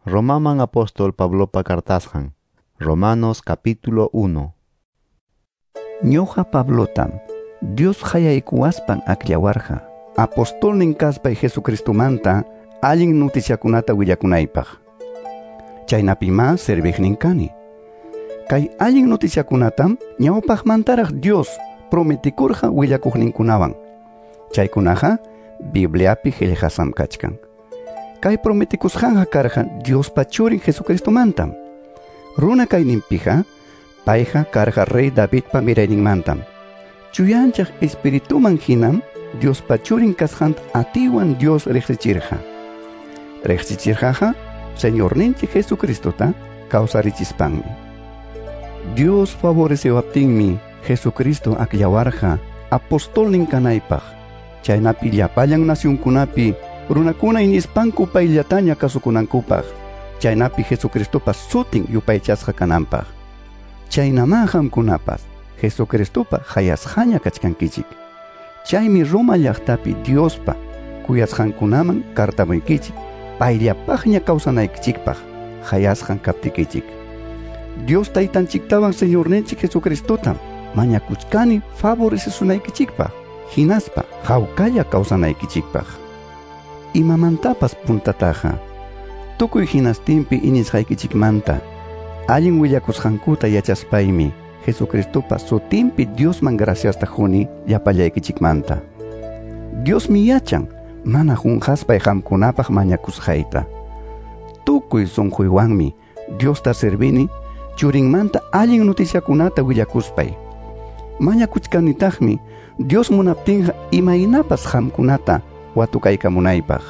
Romaman apóstol Pablopa cartasqan. Romanos capítulo 1. Ñuqa Pablotam Dios qayaykuwaspan akllawarqa apostolnin kaspay Jesucristomanta allin noticiakunata willakunaypaq. Chaynapimá serviqnin kani. Kay allin noticiakunatam ñawpaqmantaraq Dios prometikurqa willakuqninkunawan. Chaykunaqa Bibliapi qillqasqam kachkan. Kay prometikusqanqa karqa Diospa churin Jesucristomantam. Runa kayninpiqa payqa karqa rey Davidpa mirayninmantam. Chuyanchaq espirituman hinam Diospa churin kasqanta atiwan Dios riqsichirqa. Riqsichirqaqa Señorninchik Jesucristota kawsarichispanmi. Dios favorecewaptinmi Jesucristo akllawarqa apostolnin kanaypaq. Chaynapi llapallan nacionkunapi runakuna iñispanku payllataña kasukunankupaq. Chaynapi Jesucristopa sutin yupaychasqa kananpaq. Chaynamá qamkunapas Jesucristopa hayasqaña kachkankichik. Chaymi Roma llaqtapi Diospa kuyasqankunaman cartamuykichik payllapaqña kawsanaykichikpaq hayasqan kaptikichik. Dios taytanchiktawan Señorninchik Jesucristotam mañakuchkani favorecesunaykichikpaq hinaspa hawkalla kawsanaykichikpaq. Imamantapas puntataqa tukuy hinastinpi iñisqaykichikmanta allin willakusqankuta yachaspaymi Jesucristopa sutinpi Diosman graciasta quni llapallaykichikmanta. Diosmi yachan mana qunqaspay qamkunapaq mañakusqayta. Tukuy sunquywanmi Diosta servini churinmanta allin noticiakunata willakuspay. Mañakuchkanitaqmi Dios munaptinqa imaynapas qamkunata watukaykamunaypaq.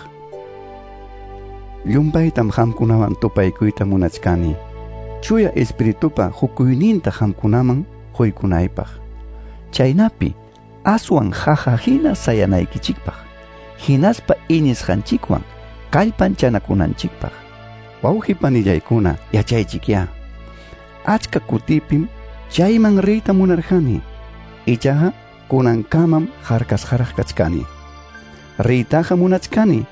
Llumpaytam qamkunawan tupaykuyta munachkani. Chuya espiritupa hukuyninta qamkunaman quykunaypaq. Chaynapi aswan qaqa hina sayanaykichikpaq, hinaspa iñisqanchikwan kallpanchanakunanchikpaq. Wawqi panillaykuna, yachaychikyá. Achka kutipim chayman riyta munarqani, ichaqa kunankamam harkasqaraq kachkani. Riytaqa munachkani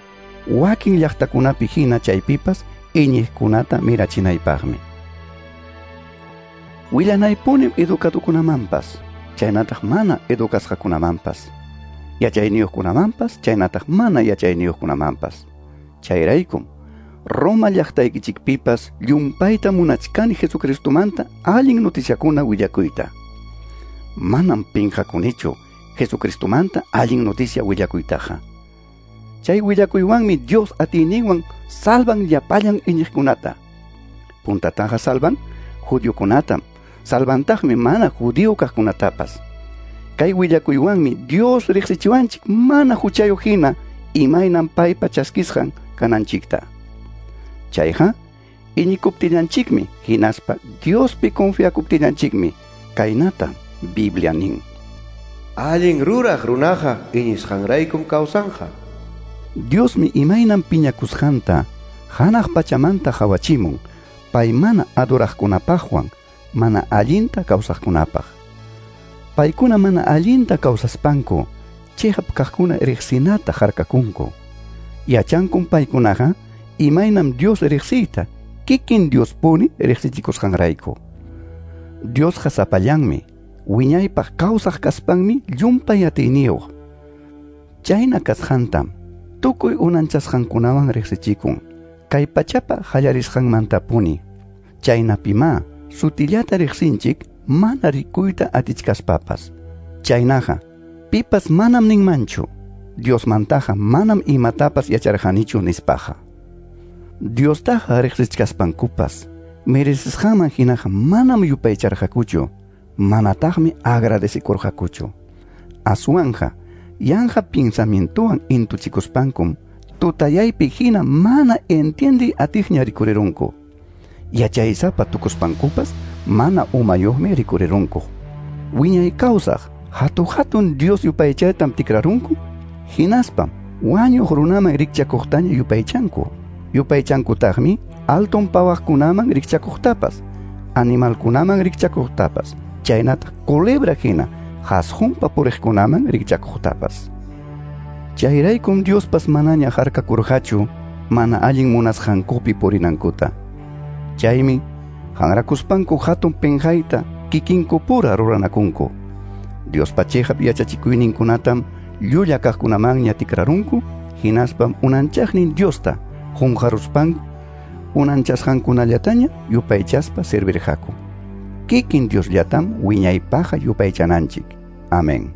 wakin llaqtakunapi hina chaypipas iñiqkunata mirachinaypaqmi. Willanaypunim educadukunamanpas, chaynataq mana educasqakunamanpas, yachayniyuqkunamanpas, chaynataq mana yachayniyuqkunamanpas. Chayraykum Roma llaqtaykichikpipas llumpayta munachkani Jesucristomanta allin noticiakuna willakuyta. Manam pinqakunichu Jesucristomanta allin noticia willakuytaqa. Chay willakuywanmi Dios atiyninwan salvan llapallan iñiqkunata. Puntataqa salvan judiokunatam, salvantaqmi mana judío kaqkunatapas. Kay willakuywanmi Dios riqsichiwanchik mana huchayuq hina imaynam paypa chaskisqan kananchikta. Chayqa iñikuptillanchikmi hinaspa Diospi confiakuptillanchikmi kaynata Biblia nin. Allin ruraq runaqa iñisqanraykum kawsanqa. Diosmi imaynam piñakusqanta hanaq pachamanta qawachimun pay mana adoraqkunapaqwan mana allinta kawsaqkunapaq. Paykuna mana allinta kawsaspanku chiqap kaqkuna riqsinata harkakunku. Yachankum paykunaqa imaynam Dios riqsiyta kikin Diospuni riqsichikusqanrayku. Diosqa sapallanmi wiñaypaq kawsaq kaspanmi llumpay atiyniyuq. Chayna kasqantam tukuy unanchasqankunawan riqsichikun kay pachapa qallarisqanmantapuni. Chaynapimá sutillata riqsinchik mana rikuyta atichkaspapas. Chaynaqa pipas manam ninmanchu Diosmantaqa manam imatapas yacharqanichu nispaqa. Diostaqa riqsichkaspankupas merecisqanman hinaqa manam yupaycharqakuchu, manataqmi agradecikurqakuchu. Aswanqa yanqa pensamientowan intuchikuspankum tutayaypi hina mana entiendiy atiqña rikurirunku. Yachaysapa tukuspankupas mana umayuqmi rikurirunku. Wiñay kawsaq hatu-hatun Dios yupaychaytam tikrarunku, hinaspam wañuq runaman rikchakuqtaña yupaychanku. Yupaychankutaqmi alton pawaqkunaman rikchakuqtapas, animalkunaman rikchakuqtapas, chaynataq culebra hina qasqunpa puriqkunaman rikchakuqtapas. Chayraykum Diospas manaña harkakurqachu mana allin munasqankupi purinankuta. Chaymi hanrakuspanku hatun penqayta kikinkupura ruranakunku. Diospa chiqap yachachikuyninkunatam llulla kaqkunamanña tikrarunku, hinaspam unanchaqnin Diosta qunqaruspanku unanchasqankunallataña yupaychaspa servirqaku. Kikin Diosllatam wiñaypaqa yupaychananchik. Amén.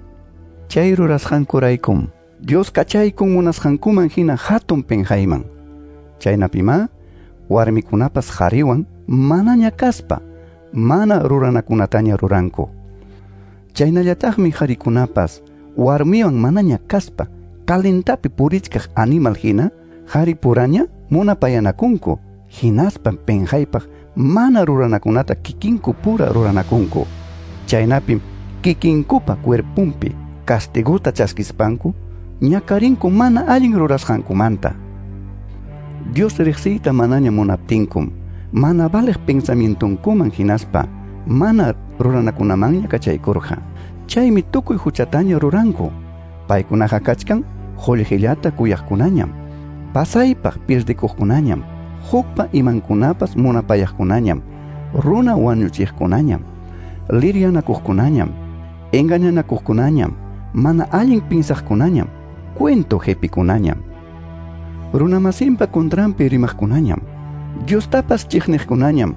Chay rurasqankuraykum Dios kachaykun munasqankuman hina hatun penqayman. Chaynapimá warmikunapas qhariwan manaña kaspa mana ruranakunataña ruranku. Chaynallataqmi qharikunapas warmiwan manaña kaspa kalentapi purichkaq animal hina qharipuraña munapayanakunku, hinaspa penqaypaq mana ruranakunata kikinku pura ruranakunku. Chaynapim kikinkupa cuerpunpi castiguta chaskispanku ñakarinku mana allin rurasqankumanta. Dios riqsiyta manaña munaptinkum mana valeq pensamientunkuman hinaspa mana ruranakunamanña kachaykurqa. Chaymi tukuy huchataña ruranku. Paykunaqa kachkan qullqillata kuyaqkunañam, pasaypaq pirdikuqkunañam, hukpa imankunapas munapayaqkunañam, runa wañuchiqkunañam, liryanakuqkunañam, engañanakuqkunañam, mana allin pinsaqkunañam, cuento qepikunañam, runamasinpa contranpi rimaqkunañam, Diostapas chiqniqkunañam,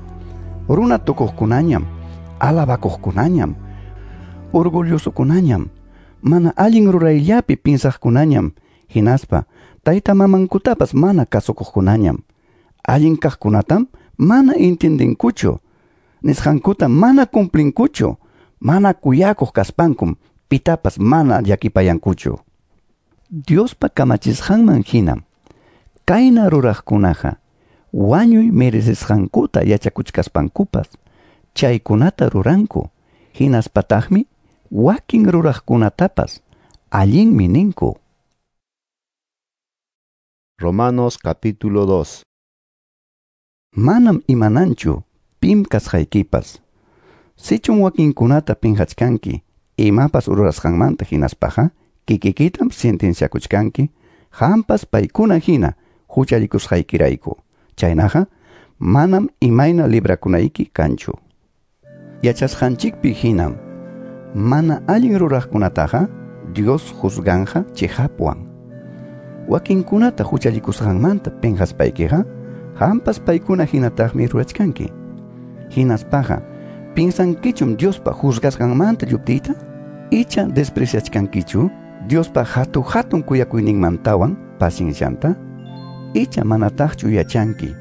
runa tukuqkunañam, alabakuqkunañam, orgullosokunañam, mana allin rurayllapi pinsaqkunañam, hinaspa tayta mamankutapas mana kasukuqkunañam, allin kaqkunatam mana intindinkuchu, nisqankuta mana cumplinkuchu, mana kuyakuq kaspankum pitapas mana llakipayankuchu. Diospa kamachisqanman hinam kayna ruraqkunaqa wañuy merecesqankuta yachakuchkaspankupas chaykunata ruranku, hinaspataqmi wakin ruraqkunatapas allinmi ninku. Romanos capítulo 2. Manam imananchu pim kasqaykipas. Sichum wakinkunata pinqachkanki imapas rurasqanmanta hinaspaqa kikikitam sentenciakuchkanki qampas paykuna hina huchallikusqaykirayku. Chaynaqa manam imayna librakunayki kanchu. Yachasqanchikpi hinam mana allin ruraqkunataqa Dios juzganja chiqapwan. Wakinkunata huchallikusqanmanta pinqaspaykiqa qampas paykuna hinataqmi rurachkanki. Hinaspaqa pinsankichum Diospa juzgasqanmanta lluptiyta? Icha despreciachkankichu Diospa hatu-hatun kuyakuyninmantawan paciencianta? Icha manataqchu yachanki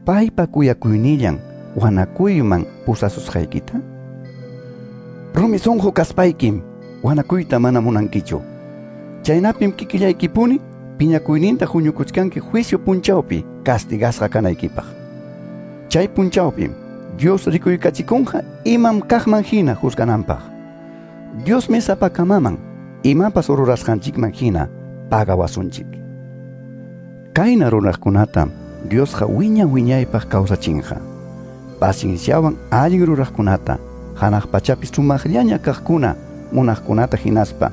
paypa kuyakuynillan wanakuyman pusasusqaykita? Rumi sunqu kaspaykim wanakuyta mana munankichu. Chaynapim kikillaykipuni piñakuyninta huñukuchkanki juicio punchawpi castigasqa kanaykipaq. Chay punchawpim Dios rikuykachikunqa imam kaqman hina juzgananpaq. Diosmi sapakamaman imapas rurasqanchikman hina pagawasunchik. Kayna ruraqkunatam Diosqa wiña wiñaypaq kawsachinqa. Pacienciawan allin ruraqkunata, hanaq pachapi sumaqllaña kaqkuna munaqkunata hinaspa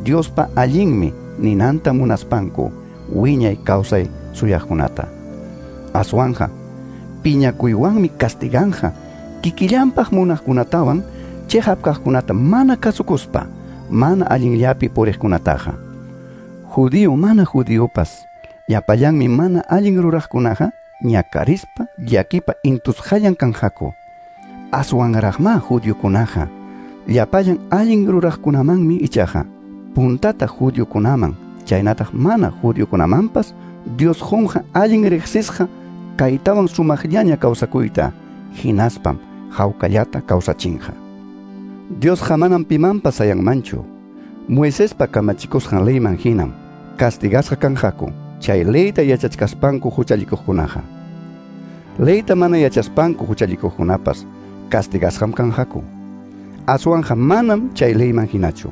Diospa allinmi ninanta munaspanku wiñay kawsay suyaqkunata. Aswanja piñakuywanmi castiganja kikillanpaq munaqkunatawan chiqap kaqkunata mana kasukuspa mana allinllapi puriqkunataqa. Judío mana judíopas llapallanmi mana allin ruraqkunaqa ñakarispa llakipa intusqallan kanqaku. Aswanraqma judiokunaqa llapallan allin ruraqkunamanmi ichaqa puntata judiokunaman chaynataq mana judiokunamanpas Dios qunqa allin riqsisqa kaytawan sumaqllaña kawsakuyta hinaspam hawkallata kawsachinqa. Diosqa manam pimanpas sayanmanchu. Moisespa kamachikusqan leyman hinam castigasqa kanqaku chay leyta yachachkaspanku huchallikuqkunaqa. Leyta mana yachaspanku huchallikuqkunapas castigasqam kanqaku. Aswanja manam chay leyman hinachu.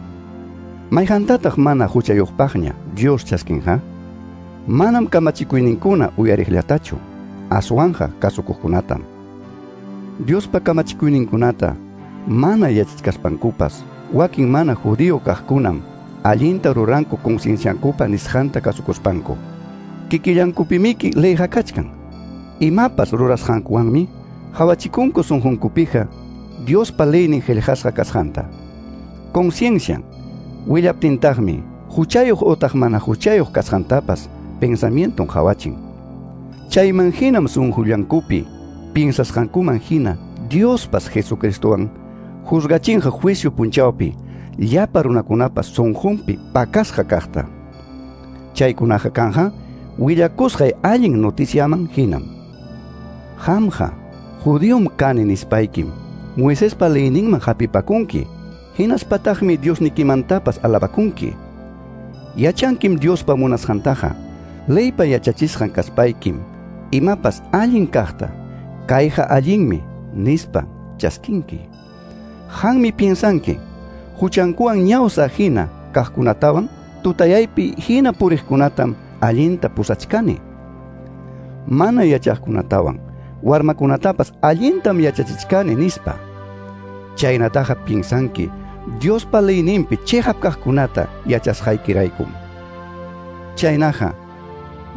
Mayqantataq mana huchayuqpaqña Dios chaskinqa? Manam kamachikuyninkuna uyariqllatachu, aswanja kasukuqkunatam. Diospa kamachikuyninkunata mana yachachkaspankupas wakin mana judío kaqkunam allinta ruranku concienciankupa nisqanta kasukuspanku. Kikillankupimiki leyqa kachkan. Imapas rurasqankuwanmi hawachikunku sunqunkupiqa Diospa leynin qillqasqa kasqanta. Conciencian willaptintaqmi huchayuq utaq mana huchayuq kasqantapas pensamienton hawachin. Chayman hinam sunqullankupi piensasqankuman hina Diospas Jesucristowan juzgachinqa juicio punchawpi llapa runakunapas sunqunpi pakasqa kaqta. Chaykunaqa kanja willakusqay allin noticiaman hinam. Qamqa judiom kani nispaykim Moisespa leyninman hapipakunki, hinaspataqmi Diosnikimantapas alabakunki. Yachankim Diospa munasqantaqa, leypa yachachisqan kaspaykim, imapas allin kaqta, kayqa allinmi nispa chaskinki. Qanmi piensanki, huchankuwan ñawsa hina kaqkunatawan tutayaypi hina puriqkunatam allinta pusachkani. Mana yachaqkunatawan warmakunatapas allintam yachachichkani nispa. Chaynataqa piensanki Diospa leyninpi chiqap kaqkunata yachasqaykiraykum. Chaynaqa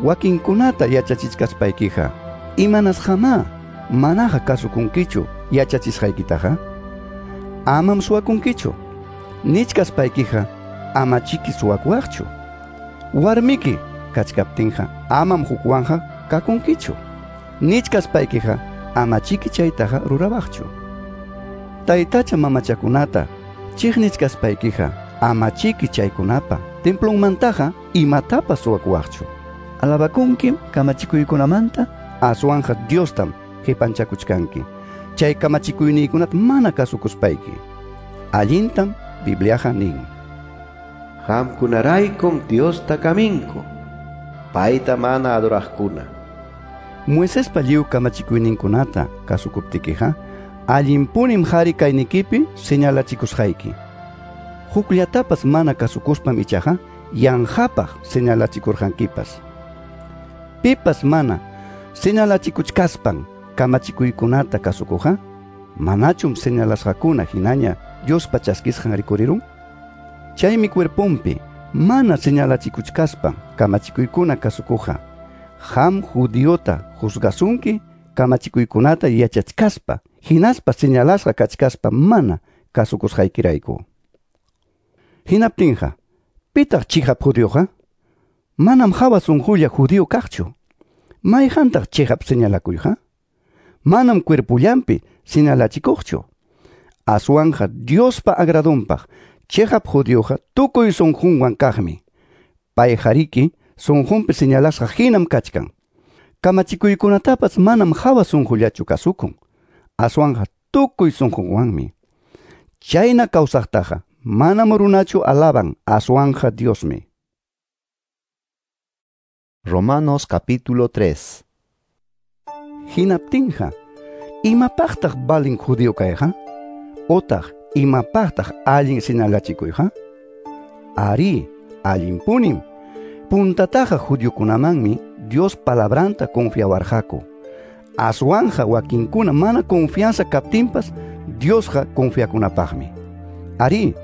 wakinkunata yachachichkaspaykiqa imanasqamá manaqa kasukunkichu yachachisqaykitaqa? Amam suwakunkichu. Nichkaspaykiqa amachiki suwakuwaqchu. Warmiki kachkaptinqa amam hukwanqa kakunkichu. Nichkaspaykiqa amachiki chaytaqa rurawaqchu. Taytacha mamachakunata chiqnichkaspaykiqa amachiki chaykunapa templonmantaqa imatapas suwakuwaqchu. Alabakunkim kamachikuykunamanta aswanqa Diostam qipanchakuchkanki. Chay kamachikuyniykunata mana kasukuspayki. Allintam Bibliaqa nin. Qamkunaraykum Diosta kaminku, payta mana adoraqkuna. Moisespa lliw kamachikuyninkunata kasukuptikiqa allinpunim qhari kaynikipi señalachikusqayki. Hukllatapas mana kasukuspam ichaqa yanqapaq señalachikurqankipas. Pipas mana señalachikuchkaspan kamachikuykunata kasukuqa, manachum señalasqakuna hinaña Diospa chaskisqan rikurirun? Chaymi cuerponpi mana señalachikuchkaspan kamachikuykuna kasukuqa, qam judiota juzgasunki kamachikuykunata yachachkaspa hinaspa señalasqa kachkaspa mana kasukusqaykirayku. Hinaptinqa, pitaq chiqap judioqa? Manam hawa sunqulla judío kaqchu. Mayqantaq chiqap señalakuyqa? Manam cuerpullanpi señalachikuqchu. Aswanqa Diospa agradonpaq chiqap judioqa tukuy sunqunwan kaqmi. Payqariki sunqunpi señalasqa hinam kachkan. Kamachikuykunatapas manam hawa sunqullachu kasukun. Aswanqa tukuy sunqunwanmi. Chayna kawsaqtaqa manam runachu alaban, aswanqa Diosmi. Romanos capítulo 3. Hinaptinqa, imapaqtaq balin judío kayqa? Otaq imapaqtaq allin señalachikuyqa? Ari, allinpunim. Puntataqa judiokunamanmi Dios palabranta confiawarqaku. Aswanja wakinkuna mana confianza kaptinpas Diosqa confiakunapaqmi. Ari,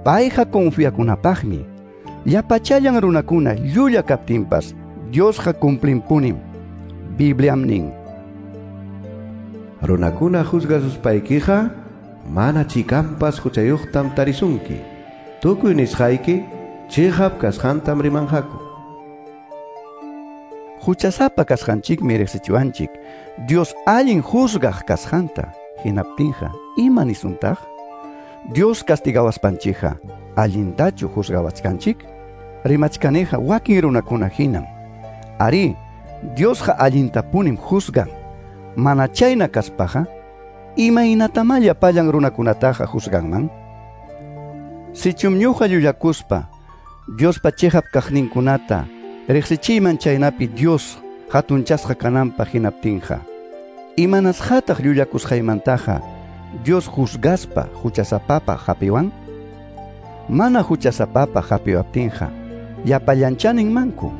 payqa confiakunapaqmi. Llapachallan runakuna llulla kaptinpas Diosqa cumplinpunim. Bibliam nin. Runakuna juzgasuspaykiqa mana chikampas huchayuqtam tarisunki. Tukuy nisqayki chiqap kasqantam rimanqaku. Huchasapa kasqanchikmi riqsichiwanchik Dios allin juzgaq kasqanta. Hinaptinqa ima nisuntaq? Dios castigawaspanchikqa allintachu juzgawachkanchik? Rimachkaniqa wakin runakuna hinam. Ari, Diosqa allintapunim juzgan. Mana chayna kaspaqa, imaynatamá llapallan runakunataqa juzganman? Sichum ñuqa llullakuspa Diospa chiqap kaqninkunata riqsichiyman chaynapi Dios hatunchasqa kananpaq hinaptinqa, imanasqataq llullakusqaymantaqa Dios juzgaspa huchasapapaq hapiwan? Mana huchasapapaq hapiwaptinqa llapallancha ninmanku.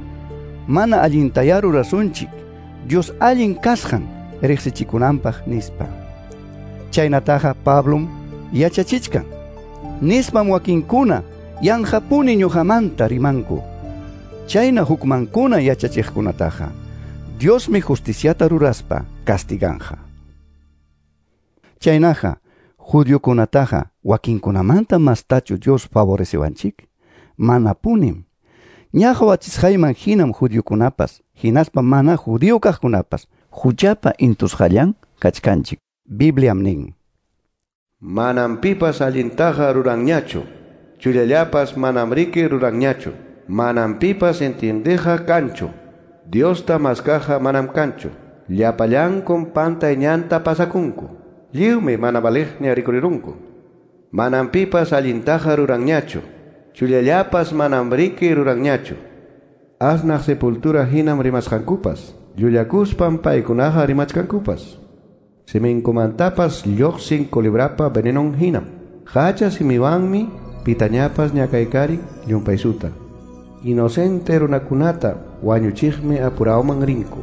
Mana allintayá rurasunchik Dios allin kasqan riqsichikunanpaq nispa. Chaynataqa Pablom yachachichkan. Nispam wakinkuna yanqapuni ñuqamanta rimanku. Chayna hukmankuna yachachiqkunataqa Diosmi justiciata ruraspa castiganqa. Chaynaqa judiokunataqa wakinkunamanta mastachu Dios favorecewanchik? Manapunim. Ña qawachisqayman hinam judiokunapas hinaspa mana judío kaqkunapas huchapa intusqallan kachkanchik. Bibliam nin: Manam pipas allintaqa ruranñachu, chullallapas manam riki ruranñachu, manam pipas entiendeqa kanchu, Diosta maskaqa manam kanchu, llapallankum pantay ñanta pasakunku, lliwmi mana valiqña rikurirunku. Manam pipas allintaqa ruranñachu, chullallapas manam riki ruranñachu. Asnaq sepultura hinam rimasqankupas, llullakuspam paykunaqa rimachkankupas. Siminkumantapas lluqsin culebrapa venenon hinam. Hacha simiwanmi pitañapas ñakaykarin llumpaysuta. Inocente runakunata wañuchiqmi apurawman rinku.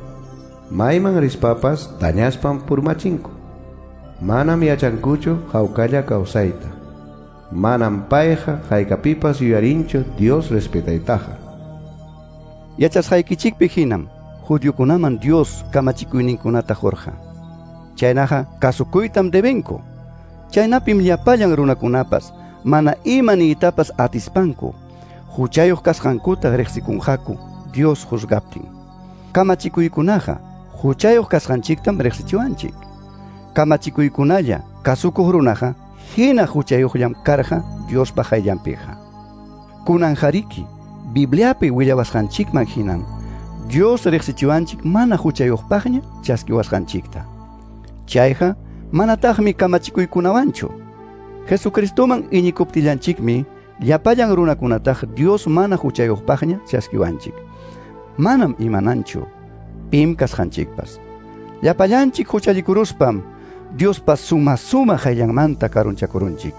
Mayman rispapas dañaspam purmachinku. Manam yachankuchu hawkalla kawsayta. Manam payqa haykapipas yuyarinchu Dios respetaytaqa. Yachasqaykichikpi hinam judiokunaman Dios kamachikuyninkunata qurqa. Chaynaqa kasukuytam debenku. Chaynapim llapallan runakunapas mana ima niytapas atispanku huchayuq kasqankuta riqsikunqaku Dios juzgaptin. Kamachikuykunaqa huchayuq kasqanchiktam riqsichiwanchik. Kamachikuykunalla kasukuq runaqa hina huchayuqllam karqa Diospa qayllanpiqa. Kunanjariki Bibliapi willawasqanchikman hinam Dios riqsichiwanchik mana huchayuqpaqña chaskiwasqanchikta. Chayqa manataqmi kamachikuykunawanchu. Jesucristoman iñikuptillanchikmi llapallan runakunataq Dios mana huchayuqpaqña chaskiwanchik. Manam imananchu pim kasqanchikpas. Llapallanchik huchallikuruspam Diospa suma qayllanmanta karunchakurunchik.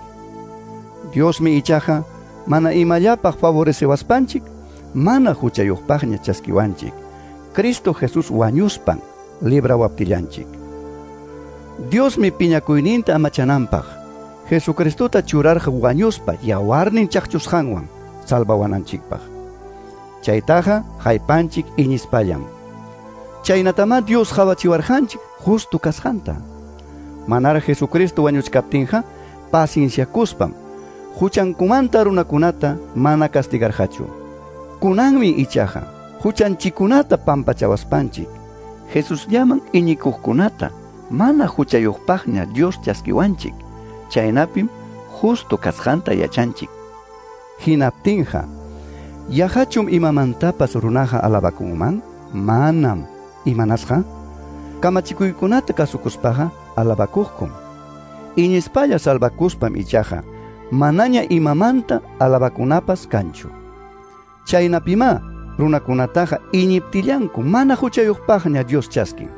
Diosmi ichaqa mana imallapaq favorecewaspanchik mana huchayuqpaqña chaskiwanchik. Cristo Jesús wañuspan librawaptillanchik. Diosmi piñakuyninta amachananpaq Jesucristota churarqa wañuspa yawarnin chaqchusqanwan salvawananchikpaq. Chaytaqa haypanchik iñispallam. Chaynatamá Dios qawachiwarqanchik justo kasqanta. Manara Jesucristo wañuchkaptinqa pacienciakuspam huchankumanta runakunata mana castigarqachu. Kunanmi ichaqa huchanchikunata pampachawaspanchik Jesusllaman iñikuqkunata mana huchayuqpaqña Dios chaskiwanchik. Chaynapim justo kasqanta yachanchik. Hinaptinqa yaqachum imamantapas runaqa alabakunman? Manam. Imanasqa? Kamachikuykunata kasukuspaqa alabakuqkum. Iñispalla salvakuspam ichaqa manaña imamanta alabakunapas kanchu. Chaynapimá runakunataqa iñiptillanku mana huchayuqpaqña Dios chaskin.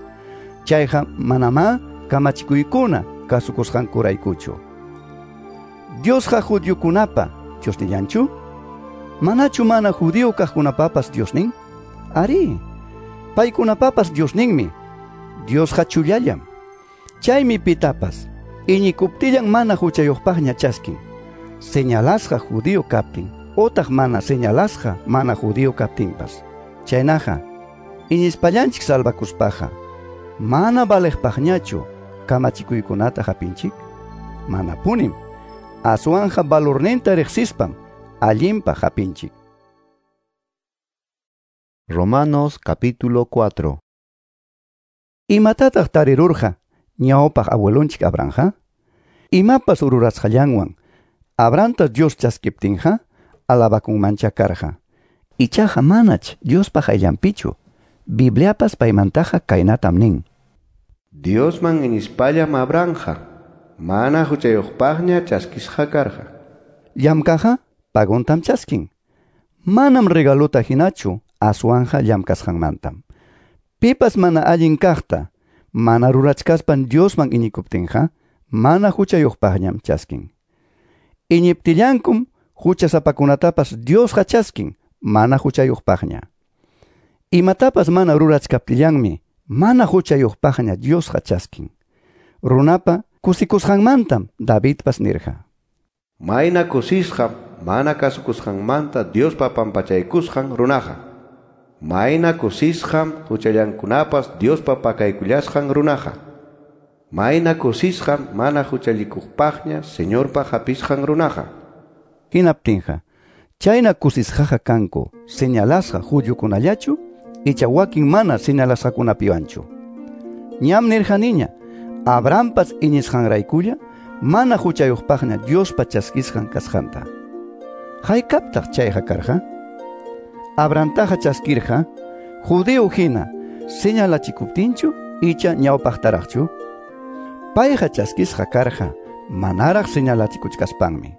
Chayqa manamá kamachikuykuna kasukusqankuraykuchu. Diosqa judiokunapa Diosnillanchu? Manachu mana judío kaqkunapapas Diosnin? Ari, paykunapapas Diosninmi. Diosqa chullallam. Chaymi pitapas iñikuptillan mana huchayuqpaqña chaskin. Señalasqa judío kaptin otaq mana señalasqa mana judío kaptinpas. Chaynaqa iñispallanchik salvakuspaqa mana valeqpaqñachu kamachikuykunata hapinchik? Manapunim. Aswanja valorninta riqsispam allinpaq hapinchik. Romanos capítulo 4. Imatataq tarirurqa ñawpaq abuelonchik Abrahamqa? Imapas rurasqallanwan Abrahamta Dios chaskiptinqa alabakunmancha karqa. Ichaqa manach Diospa qayllanpichu. Bibliapas paymantaqa kaynatam nin: Diosman iñispallam Abrahamqa mana huchayuqpaqña chaskisqa karqa. Llamkaqqa pagontam chaskin. Manam regalota hinachu aswanja llamkasqanmantam. Pipas mana allin kaqta mana rurachkaspan Diosman iñikuptinqa mana huchayuqpaqñam chaskin. Iñiptillankum huchasapakunatapas Diosqa chaskin mana huchayuqpaqña. Imatapas mana rurachkaptillanmi mana huchayuqpaqña Diosqa chaskin. Runapa kusikusqanmantam Davidpas nirqa: Mayna kusisqam mana kasukusqanmanta Diospa pampachaykusqan runaqa. Mayna kusisqam huchallankunapas Diospa pakaykullasqan runaqa. Mayna kusisqam mana huchallikuqpaqña Señorpa hapisqan runaqa. Hinaptinqa, chayna kusisqaqa kanku señalasqa judiokunallachu icha wakin mana señalasqakunapiwanchu. Ñam nirqaniña, Abrahampas iñisqanraykulla mana huchayuqpaqña Diospa chaskisqan kasqanta. Haykaptaq chayqa karqa? Abrahamtaqa chaskirqa judío hina señalachikuptinchu icha ñawpaqtaraqchu? Payqa chaskisqa karqa manaraq señalachikuchkaspanmi.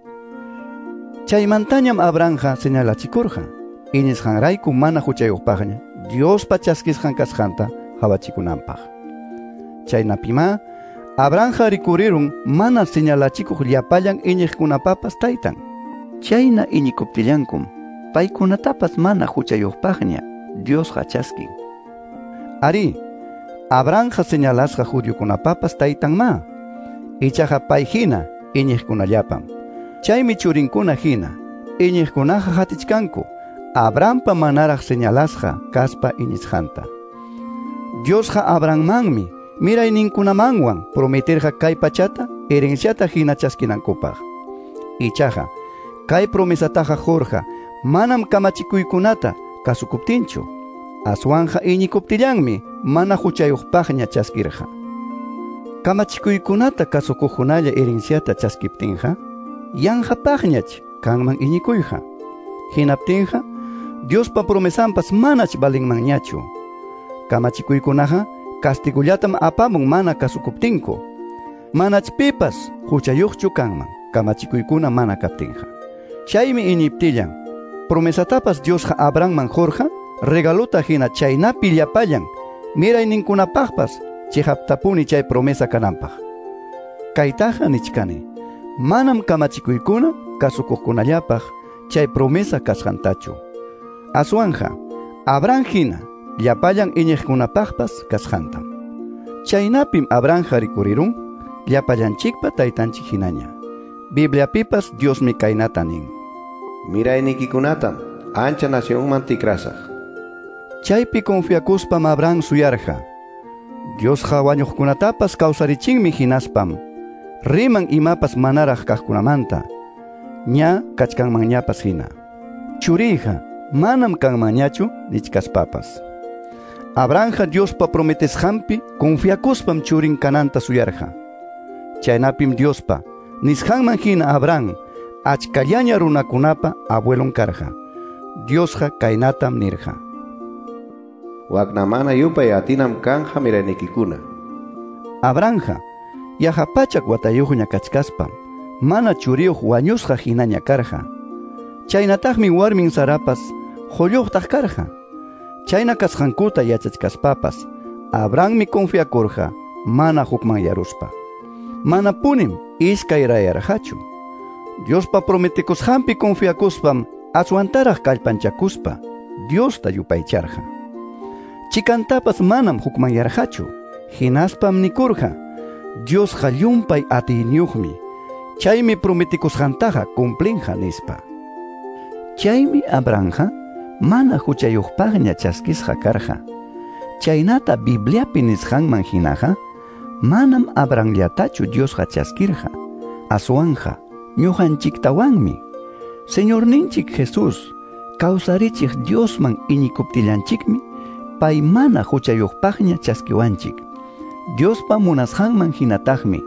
Chaymantañam Abrahamqa señalachikurqa iñisqanrayku mana huchayuqpaqña Diospa chaskisqan kasqanta qawachikunanpaq. Chaynapimá Abrahamqa rikurirun mana señalachikuq llapallan iñiqkunapapas taytan. Chayna iñikuptillankum paykunatapas mana huchayuqpaqña Diosqa chaskin. Ari, Abrahamqa señalasqa judiokunapapas taytanmá. Ichaqa pay hina iñiqkunallapam. Chaymi churinkuna hina iñiqkunaqa hatichkanku Abrahampa manaraq señalasqa kaspa iñisqanta. Diosqa Abrahammanmi mirayninkunamanwan prometerqa kay pachata herenciata hina chaskinankupaq. Ichaqa kay promesataqa qurqa manam kamachikuykunata kasukuptinchu, aswanqa iñikuptillanmi mana huchayuqpaqña chaskirqa. Kamachikuykunata kasukuqkunalla herenciata chaskiptinqa yanqapaqñach kanman iñikuyqa. Hinaptinqa Diospa promesanpas manach valinmanñachu. Kamachikuykunaqa castigullatam apamun mana kasukuptinku. Manach pipas huchayuqchu kanman kamachikuykuna mana kaptinqa. Chaymi iñiptillan promesatapas Diosqa Abrahamman qurqa regalota hina chaynapi llapallan mirayninkunapaqpas chiqaptapuni chay promesa kananpaq. Kaytaqa nichkani, manam kamachikuykuna kasukuqkunallapaq chay promesa kasqantachu. Aswanja Abraham hina llapallan iñiqkunapaqpas kasqantam. Chaynapim Abrahamqa rikurirun llapallanchikpa taytanchik hinaña. Bibliapipas Diosmi kaynata nin: Miraynikikunatam ancha nacionman tikrasaq. Chaypi confiakuspam Abraham suyarqa. Diosqa wañuqkunatapas kawsarichinmi hinaspam riman imapas manaraq kaqkunamanta ña kachkanmanñapas hina. Churiyqa manam kanmanñachu nichkaspapas. Abrahamqa Diospa prometesqanpi confiakuspam churin kananta suyarqa. Chaynapim Diospa nisqanman hina Abraham achkallaña runakunapa abuelon karqa. Diosqa kaynatam nirqa: Waknamana yupay atinam kanja miraynikikuna. Abrahamqa yaqa pachak watayuqña kachkaspam mana churiyuq wañusqa hinaña karqa. Chaynataqmi warmin Sarapas qulluqtaq karqa. Chayna kasqankuta yachachkaspapas Abrahammi confiakurqa mana hukmanyaruspa. Manapunim iskayrayarqachu. Diospa prometikusqanpi confiakuspam aswantaraq kallpanchakuspa Diosta yupaycharqa. Chikantapas manam hukmanyarqachu. Hinaspam nikurqa: Diosqa llumpay atiyniyuqmi, chaymi prometikusqantaqa cumplinqa nispa. Chaymi Abrahamqa mana huchayuqpaqña chaskisqa karqa. Chaynata Bibliapi nisqanman hinaqa manam Abrahamllatachu Diosqa chaskirqa, aswanja ñuqanchiktawanmi. Señorninchik Jesús kawsarichiq Diosman iñikuptillanchikmi pay mana huchayuqpaqña chaskiwanchik. Diospa munasqanman hinataqmi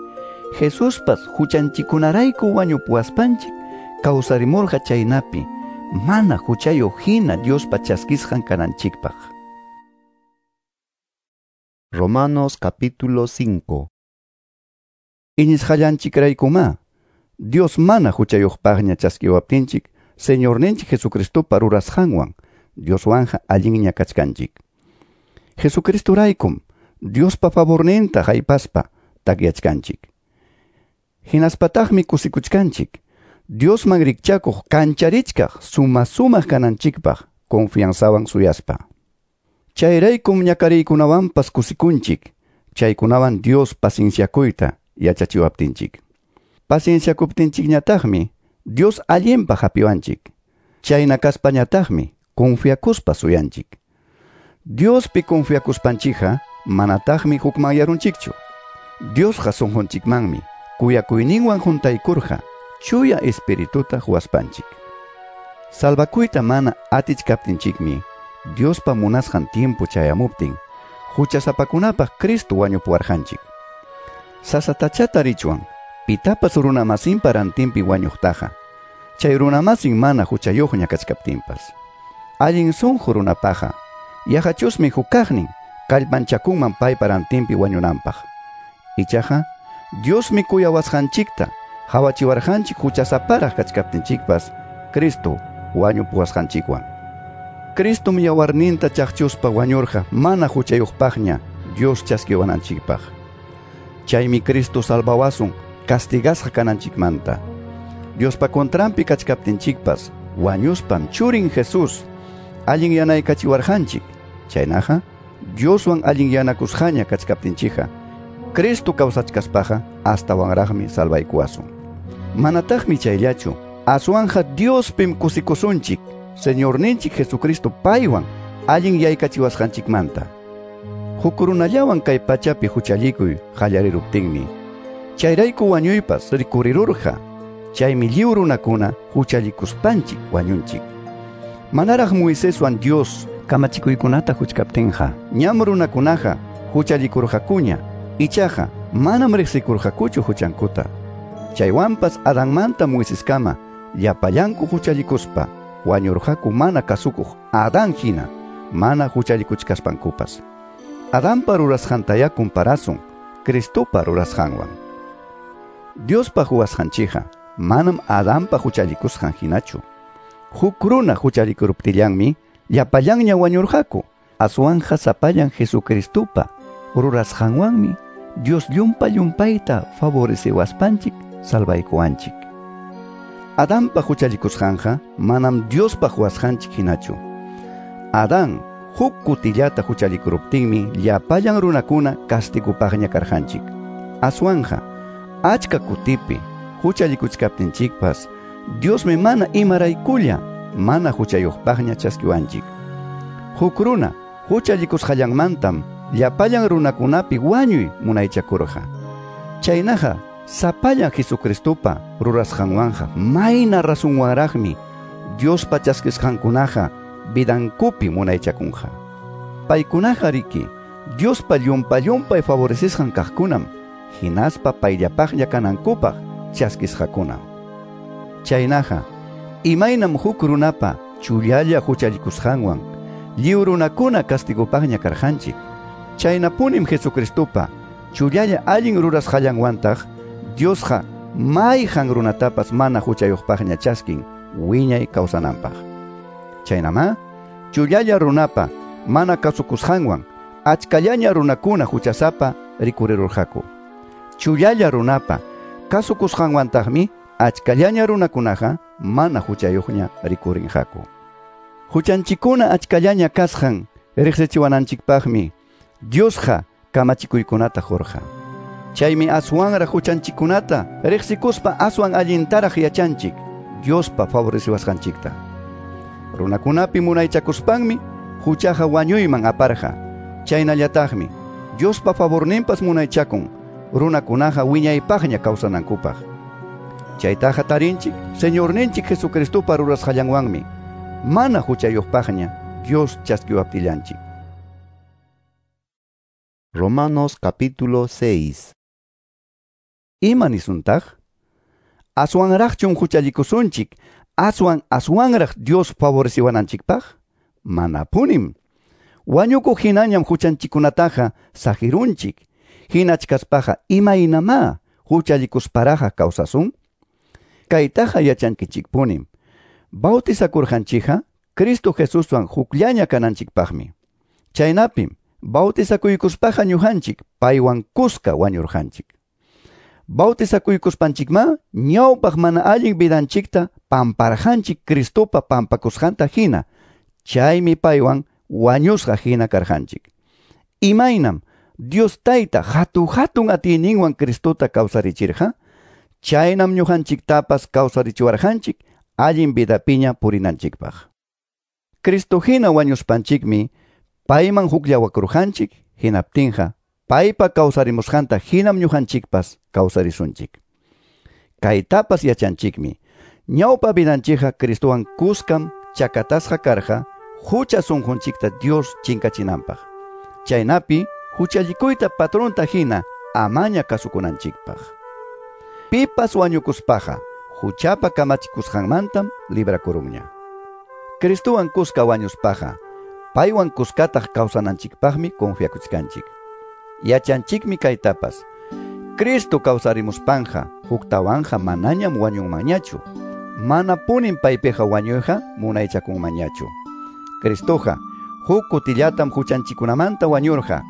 Jesuspas huchanchikunarayku wañupuwaspanchik kawsarimurqa chaynapi mana huchayuq hina Diospa chaskisqan kananchikpaq. Romanos capítulo 5. Iñisqallanchikraykumá Dios mana huchayuqpaqña chaskiwaptinchik Señorninchik Jesucristopa rurasqanwan Dioswanja allinña kachkanchik. Jesucristoraykum Diospa favorninta haypaspa takyachkanchik. Hinaspataqmi kusikuchkanchik Diosman rikchakuq kancharichkaq suma sumaq kananchikpaq confianzawan suyaspa. Chayraykum ñakariykunawanpas kusikunchik, chaykunawan Dios pacienciakuyta yachachiwaptinchik. Pacienciakuptinchikñataqmi Dios allinpaq hapiwanchik. Chayna kaspañataqmi confiakuspa suyanchik. Diospi confiakuspanchikqa manataqmi hukmanyarunchikchu. Diosqa sunqunchikmanmi kuyakuyninwan juntaykurqa chuya espirituta huwaspanchik. Salvakuyta mana atichkaptinchikmi Diospa munasqan tiempo chayamuptin huchasapakunapaq Cristo wañupuwarqanchik. Sasatacha tarichwan pitapas runamasinpa rantinpi wañuqtaqa, chay runamasin mana huchayuqña kachkaptinpas. Allin sunqu runapaqa yaqachusmi hukaqnin kallpanchakunman paypa rantinpi wañunanpaq. Ichaqa Diosmi kuyawasqanchikta hawachiwarqanchik huchasaparaq kachkaptinchikpas Cristo wañupuwasqanchikwan. Cristom yawarninta chaqchuspa wañurqa mana huchayuqpaqña Dios chaskiwananchikpaq. Chaymi Cristo salvawasun castigasqa kananchikmanta. Diospa contranpi kachkaptinchikpas wañuspam churin Jesús allin yanaykachiwarqanchik. Chaynaqa Dioswan allin yanakusqaña kachkaptinchikqa Cristo kawsachkaspaqa astawanraqmi salvaykuwasun. Manataqmi chayllachu, aswanja Diospim kusikusunchik, Señorninchik Jesucristo paywan allin yaykachiwasqanchikmanta. Huk runallawan kay pachapi huchallikuy qallariruptinmi chayrayku wañuypas rikurirurqa. Chaymi lliw runakuna huchallikuspanchik wañunchik. Manaraq Moiseswan Dios kamachikuykunata huchkaptinqa ñam runakunaqa huchallikurqakuña, ichaqa manam riqsikurqakuchu huchankuta. Chaywanpas Adanmanta Moiseskama llapallanku huchallikuspa wañurqaku mana kasukuq Adán hina mana huchallikuchkaspankupas. Adanpa rurasqantaya comparasun Cristopa rurasqanwan. Diospa huwasqanchikqa manam Adanpa huchallikusqan hinachu. Huk runa huchallikuruptillanmi llapallanña wañurqaku. Aswanja sapallan Jesucristopa rurasqanwanmi Dios llumpa llumpayta favoreciwaspanchik salvaykuwanchik. Adanpa huchallikusqanqa manam Diospa huwasqanchik hinachu. Adán huk kutillata huchallikuruptinmi llapallan runakuna castigupaqña karqanchik. Aswanja achka kutipi huchallikuchkaptinchikpas Diosmi mana imaraykulla mana huchayuqpaqña chaskiwanchik. Huk runa huchallikusqallanmantam llapallan runakunapi wañuy munaychakurqa. Chaynaqa sapallan Jesucristopa rurasqanwanqa mayna rasunwanraqmi Diospa chaskisqankunaqa vidankupi munaychakunqa. Paykunaqa riki Diospa llumpa llumpay favorecisqan kaqkunam hinaspa payllapaqlla kanankupaq chaskisqakunam. Chaynaqa imaynam huk runapa chullalla huchallikusqanwan lliw runakuna castigupaqña karqanchik, chaynapunim Jesucristopa chullalla allin rurasqallanwantaq Diosqa mayqan runatapas mana huchayuqpaqña chaskin wiñay kawsananpaq. Chaynamá chullalla runapa mana kasukusqanwan achkallaña runakuna huchasapa rikurirurqaku. Chullalla runapa kasukusqanwantaqmi achkallaña runakunaqa mana huchayuqña rikurinqaku. Huchanchikuna achkallaña kasqan riqsichiwananchikpaqmi Diosqa kamachikuykunata qurqa. Chaymi aswanraq huchanchikunata riqsikuspa aswan allintaraq yachanchik Diospa favoreciwasqanchikta. Runakunapi munaychakuspanmi huchaqa wañuyman aparqa. Chaynallataqmi Diospa favorninpas munaychakun runakunaqa wiñaypaqña kawsanankupaq. Chaytaqa tarinchik Señorninchik Jesucristopa rurasqallanwanmi mana huchayuqpaqña Dios chaskiwaptillanchik. Romanos capítulo 6. Ima nisuntaq? Aswanraqchum huchallikusunchik, aswan aswanraq Dios favoreciwananchikpaq? Manapunim. Wañukuq hinañam huchanchikunataqa saqirunchik. Hinachkaspaqa imaynamá huchallikusparaqqa kawsasun? Kaytaqa yachankichikpunim. Bautizakurqanchikqa Cristo Jesuswan hukllaña kananchikpaqmi. Chaynapim bautizakuykuspaqa ñuqanchik paywan kuska wañurqanchik. Bautizakuykuspanchikma ñawpaq mana allin vidanchikta pamparqanchik Cristopa pampakusqanta hina, chaymi paywan wañusqa hina karqanchik. Imaynam Dios Tayta hatu hatun atiyninwan Cristota kawsarichirqa, chaynam ñuqanchiktapas kawsarichiwarqanchik allin vidapiña purinanchikpaq. Cristo hina wañuspanchikmi payman hukllawakurqanchik, hinaptinqa paypa kawsarimusqanta hinam ñuqanchikpas kawsarisunchik. Kaytapas yachanchikmi, ñawpa vidanchikqa Cristowan kuskam chakatasqa karqa hucha sunqunchikta Dios chinkachinanpaq. Chaynapi huchallikuyta patronta hina amaña kasukunanchikpaq. Pipas wañukuspaqa huchapa kamachikusqanmantam librakurunña. Cristowan kuska wañuspaqa paywan kuskataq kawsananchikpaqmi confiakuchkanchik. Yachanchikmi kaytapas. Cristo kawsarimuspanqa huktawanqa manañam wañunmanñachu. Manapunim paypiqa wañuyqa munaychakunmanñachu. Cristoqa huk kutillatam huchanchikunamanta wañurqa,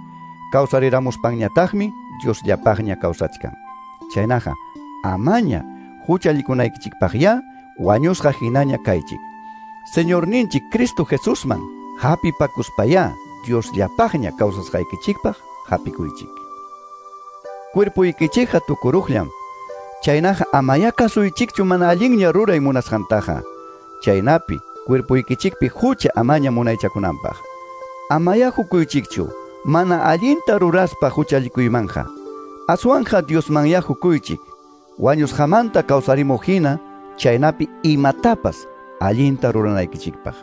kawsariramuspanñataqmi Diosllapaqña kawsachkan. Chaynaqa amaña huchallikunaykichikpaqya wañusqa hinaña kaychik. Señorninchik Cristo Jesusman hapipakuspayá Diosllapaqña kawsasqaykichikpaq hapikuychik. Cuerpuykichikqa tukuruqllam. Chaynaqa amaya kasuychikchu mana allinña ruray munasqantaqa. Chaynapi cuerpuykichikpi hucha amaña munaychakunanpaq. Amaya hukuychikchu mana allinta ruraspa huchallikuymanqa. Aswanja Diosmanya hukuychik. Wañusqamanta kawsarimuq hina, chaynapi imatapas allinta ruranaykichikpaq.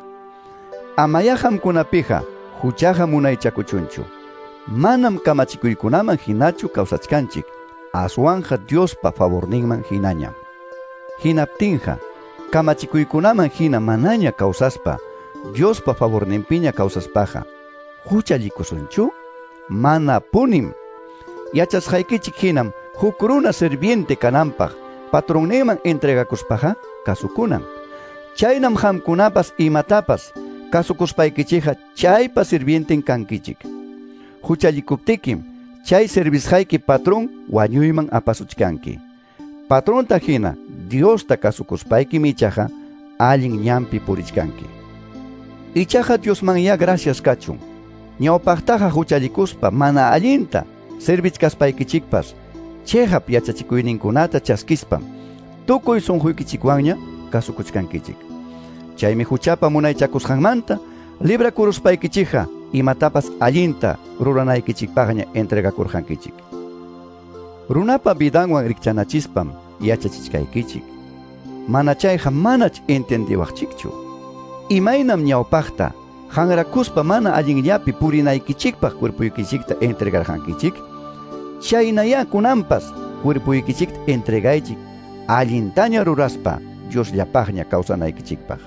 Amaya qamkunapiqa huchaqa munaychakuchunchu. Manam kamachikuykunaman hinachu kawsachkanchik, aswanja Diospa favorninman hinañam. Hinaptinqa kamachikuykunaman hina manaña kawsaspa, Diospa favorninpiña kawsaspaqa, huchallikusunchu? Mana punim. Yachasqaykichik hinam huk runa sirviente kananpaq patronninman entregakuspaqa kasukunan. Chaynam qamkunapas imatapas kasukuspaykichikqa chaypa sirvienten kankichik. Huchallikuptikim chay servisqayki patrón wañuyman apasuchkanki. Patronta hina Diosta kasukuspaykim ichaqa allin ñanpi purichkanki. Ichaqa Diosmanya gracias kachun. Ñawpaqtaqa huchallikuspa mana allinta servichkaspaykichikpas chiqap yachachikuyninkunata chaskispam tukuy sunquykichikwanña kasukuchkankichik. Chaymi huchapa munaychakusqanmanta librakuruspaykichikqa imatapas allinta ruranaykichikpaqña entregakurqankichik. Runapa vidanwan rikchanachispam yachachichkaykichik. Mana chayqa manach entendiwaqchikchu. Imaynam ñawpaqta hanrakuspa mana allinllapi purinaykichikpaq cuerpuykichikta entregarqankichik, chaynaya kunanpas cuerpuykichikta entregaychik allintaña ruraspa Diosllapaqña kawsanaykichikpaq.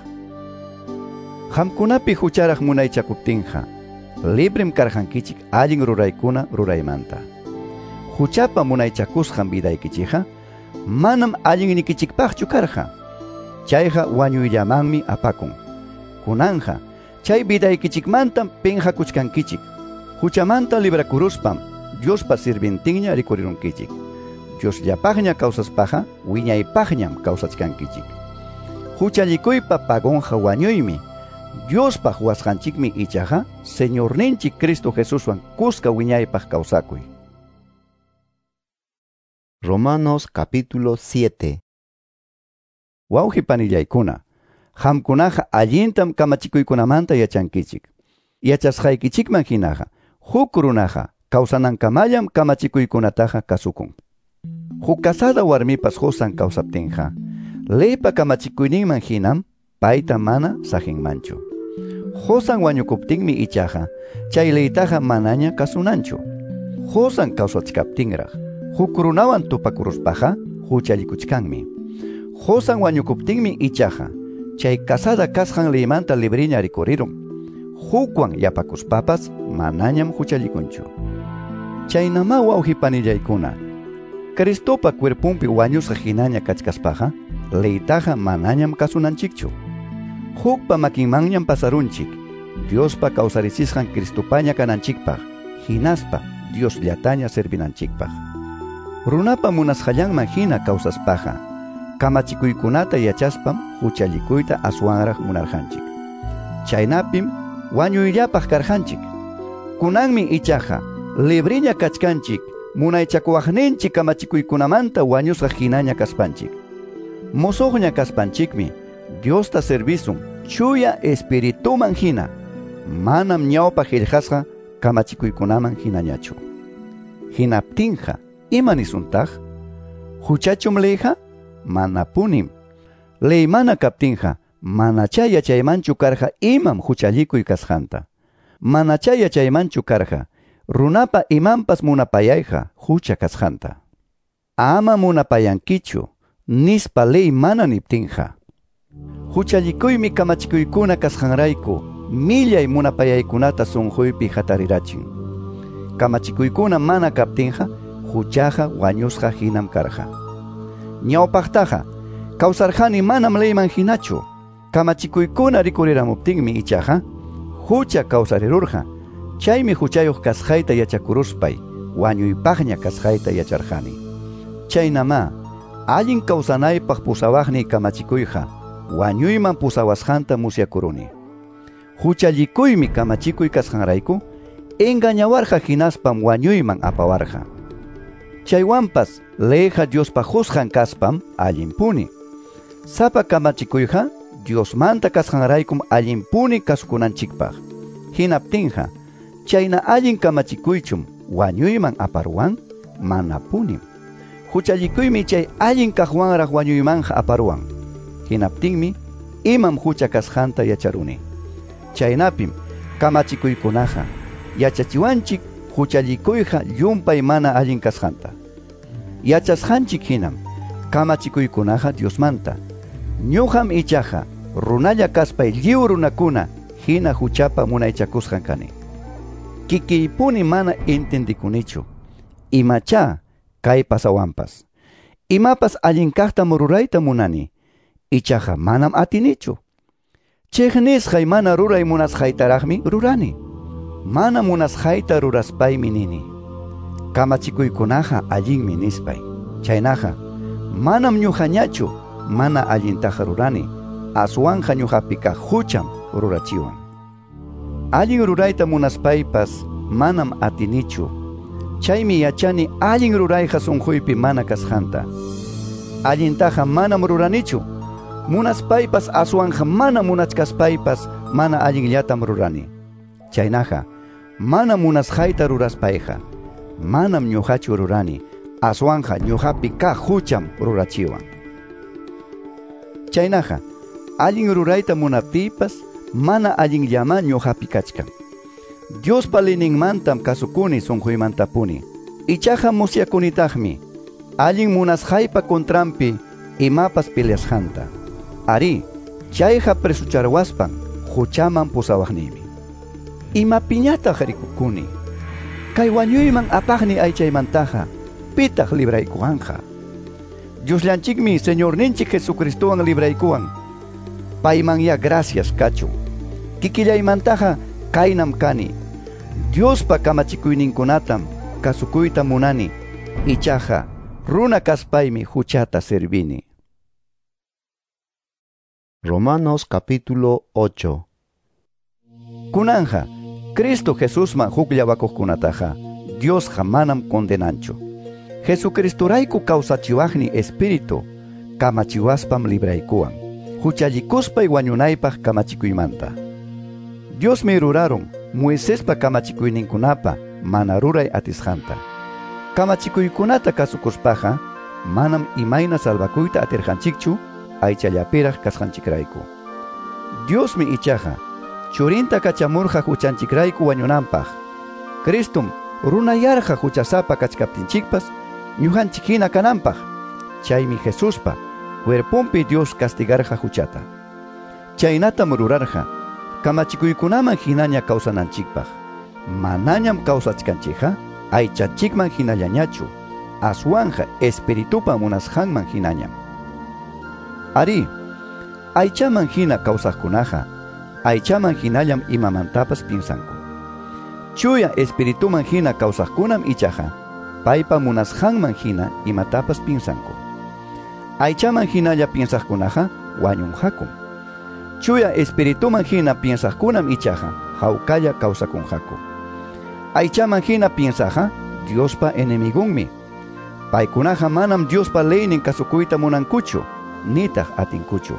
Qamkunapi hucharaq munaychakuptinqa librem karqankichik allin ruraykuna ruraymanta. Huchapa munaychakusqan vidaykichikqa manam allinnikichikpaqchu karqa. Chayqa wañuyllamanmi apakun. Kunanja chay vidaykichikmantam pinqakuchkankichik. Huchamanta librakuruspam Diospa sirvientinña rikurirunkichik. Diosllapaqña kawsaspaqa wiñaypaqñam kawsachkankichik. Huchallikuypa pagonqa wañuymi. Diospaq wasqanchikmi ichaqa Señorninchik Cristo Jesuswan kuska wiñaypaq kawsakuy. Romanos capítulo 7. Wawqi panillaykuna, qamkunaqa allintam kamachikuykunamanta yachankichik. Yachasqaykichikman hinaqa huk runaqa kawsanankamallam kamachikuykunataqa kasukun. Huk casada warmipas qusan kawsaptinqa, leypa kamachikuyninman hinam payta mana saqinmanchu. Qusan wañukuptinmi ichaqa chay leytaqa manaña kasunanchu. Qusan kawsachkaptinraq huk runawan tupakuruspaqa huchallikuchkanmi. Qusan wañukuptinmi ichaqa chay casada kasqan leymanta libriña rikurirun. Hukwan yapakuspapas manañam huchallikunchu. Chaynama wawqi panillaykuna, Cristopa cuerpunpi wañusqa hinaña kachkaspaqa leytaqa manañam kasunanchikchu. Hukpa makinmanñam pasarunchik, Diospa kawsarichisqan Cristopaña kananchikpaq, hinaspa Diosllataña servinanchikpaq. Runapa munasqallanman hina kawsaspaqa, kamachikuykunata yachaspam huchallikuyta aswanraq munarqanchik. Chaynapim wañuyllapaq karqanchik. Kunanmi ichaqa libriña kachkanchik munaychakuwaqninchik kamachikuykunamanta wañusqa hinaña kaspanchik. Mosoqña kaspanchikmi Diosta servisun chuya espirituman hina. Manam ñawpa qillqasqa kamachikuykunaman hinañachu. Hinaptinqa, ima nisuntaq? Huchachum leyqa? Manapunim. Ley mana kaptinqa, manachá yachaymanchu karqa imam huchallikuy kasqanta. Manachá yachaymanchu karqa runapa imanpas munapayayqa hucha kasqanta. Ama munapayankichu, nispa ley mana niptinqa. Huchallikuymi kamachikuykuna kasqanrayku millay munapayaykunata sunquypi hatarirachin. Kamachikuykuna mana kaptinqa huchaqa wañusqa hinam karqa. Ñawpaqtaqa kawsarqani manam leyman hinachu. Kamachikuykuna rikuriramuptinmi ichaqa hucha kawsarirurqa. Chaymi huchayuq kasqayta yachakuruspay wañuypaqña kasqayta yacharqani. Chaynamá allin kawsanaypaq pusawaqniy kamachikuyqa wañuyman pusawasqanta musyakuruni. Huchallikuymi kamachikuy kasqanrayku engañawarqa hinaspam wañuyman apawarqa. Chaywanpas leyqa Diospa qusqan kaspam allinpuni. Sapa kamachikuyqa Diosmanta kasqanraykum allinpuni kasukunanchikpaq. Hinaptinqa chayna allin kamachikuychum wañuyman aparuwan? Manapunim. Huchallikuymi chay allin kaqwanraq wañuymanqa aparuwan. Hinaptinmi imam hucha kasqanta yacharuni. Chaynapim kamachikuykunaqa yachachiwanchik huchallikuyqa llumpay mana allin kasqanta. Yachasqanchik hinam kamachikuykunaqa Diosmanta. Ñuqam ichaqa runalla kaspay lliw runakuna hina huchapa munaychakusqan kani. Kikiypuni mana entendikunichu imachá kay pasawanpas. Imapas allin kaqtam rurayta munani, ichaqa manam atinichu. Chiqnisqay mana ruray munasqaytaraqmi rurani. Mana munasqayta ruraspaymi nini. Kamachikuykunaqa allinmi nispay. Chaynaqa manam ñuqañachu mana allintaqa rurani, aswanqa ñuqapi kaq hucham rurachiwan. Allin rurayta munaspaypas manam atinichu. Chaymi yachani allin rurayqa sunquypi mana kasqanta. Allintaqa manam ruranichu. Munaspaypas aswanqa mana munachkaspaypas mana allinllatam rurani. Chaynaqa mana munasqayta ruraspayqa manam ñuqachu rurani, aswanqa ñuqapi kaq hucham rurachiwan. Chaynaqa allin rurayta munaptiypas mana allinllamá ñuqapi kachkan. Diospa leyninmantam kasukuni sunquymantapuni. Ichaqa musyakunitaqmi allin munasqaypa contranpi imapas peleasqanta. Arí, chayqa presucharwaspan huchaman pusawaqniymi. Imapiñataq rikukuni? Kay wañuyman apaqni aychaymantaqa pitaq libraykuwanqa? Diosllanchikmi Señorninchik Jesucristowan libraykuwan. Paymanya gracias kachun. Kikillaymantaqa kaynam kani. Diospa kamachikuyninkunatam kasukuyta munani. Ichaqa runa kaspaymi huchata servini. Romanos capítulo 8. Kunanja, Cristo Jesusman hukllawakuqkunataqa Diosqa manam condenanchu. Jesucristorayku kawsachiwaqni Espíritu kamachiwaspam libraykuwan, huchallikuspay wañunaypaq kamachikuymanta. Diosmi rurarun Moisespa kamachikuyninkunapa mana ruray atisqanta. Kamachikuykunata kasukuspaqa manam imayna salvakuyta atirqanchikchu aychallapiraq kasqanchikrayku. Diosmi ichaqa churinta kachamurqa huchanchikrayku wañunanpaq. Cristum runayarqa huchasapa kachkaptinchikpas ñuqanchik hina kananpaq. Chaymi Jesuspa cuerponpi Dios castigarqa huchata. Chaynatam rurarqa kamachikuykunaman hinaña kawsananchikpaq. Manañam kawsachkanchikqa aychanchikman hinallañachu, aswanja espiritupa munasqanman hinañam. Ari, aychaman hina kawsaqkunaqa aychaman hinallam imamantapas piensanku. Chuya espirituman hina kawsaqkunam ichaqa paypa munasqanman hina imatapas piensanku. Aychaman hinalla piensaqkunaqa wañunqakum. Chuya espirituman hina piensaqkunam ichaqa hawkalla kawsakunqaku. Aychaman hina piensaqa Diospa enemigunmi. Paykunaqa manam Diospa leynin kasukuyta munankuchu, nitaq atinkuchu.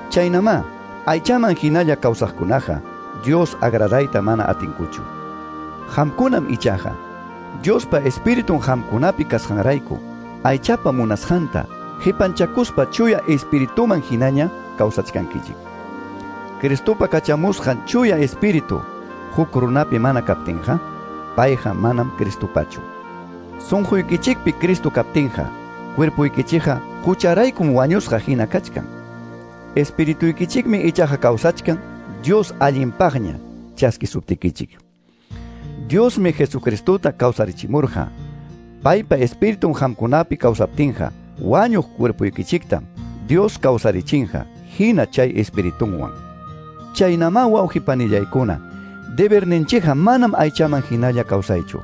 Chaynamá aychaman hinalla kawsaqkunaqa Dios agradayta mana atinkuchu. Qamkunam ichaqa Diospa Espiritun qamkunapi kasqanrayku aychapa munasqanta qipanchakuspa chuya Espirituman hinaña kawsachkankichik. Cristopa kachamusqan chuya Espíritu huk runapi mana kaptinqa, payqa manam Cristopachu. Sunquykichikpi Cristo kaptinqa, cuerpuykichikqa hucharaykum wañusqa hina kachkan. Espirituykichikmi ichaqa kawsachkan Dios allinpaqña chaskisuptikichik. Diosmi Jesucristota kawsarichimurqa. Paypa Espiritun qamkunapi kawsaptinqa, wañuq cuerpuykichiktam Dios kawsarichinqa hina chay Espiritunwan. Chaynamá wawqipanillaykuna, deberninchikqa manam aychaman hinalla kawsaychu.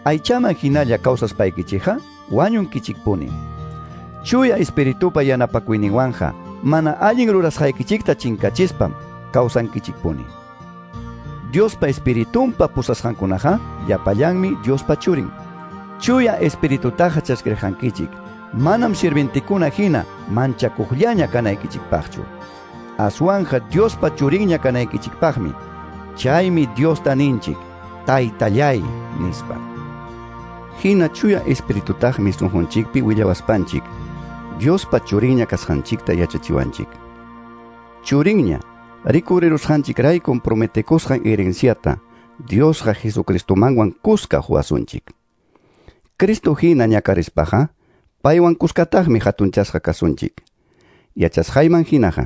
Aychaman hinalla kawsaspaykichikqa wañunkichikpuni. Chuya Espiritupa yanapakuyninwanqa mana allin rurasqaykichikta chinkachispam kawsankichikpuni. Diospa Espiritunpa pusasqankunaqa llapallanmi Diospa churin. Chuya Espiritutaqa chaskirqankichik manam sirventikuna hina manchakuqllaña kanaykichikpaqchu. Aswanja Diospa churinña kanaykichikpaqmi. Chaymi Diosta ninchik, Taytallay nispa. Hina chuya Espiritutaqmi sunqunchikpi willawaspanchik Diospa churinña kasqanchikta yachachiwanchik. Churinña rikurirusqanchikraykum prometekusqan herenciata Diosqa Jesucristomanwan kuska huwasunchik. Cristo hina ñakarispaqa paywan kuskataqmi hatunchasqa kasunchik. Yachasqayman hinaqa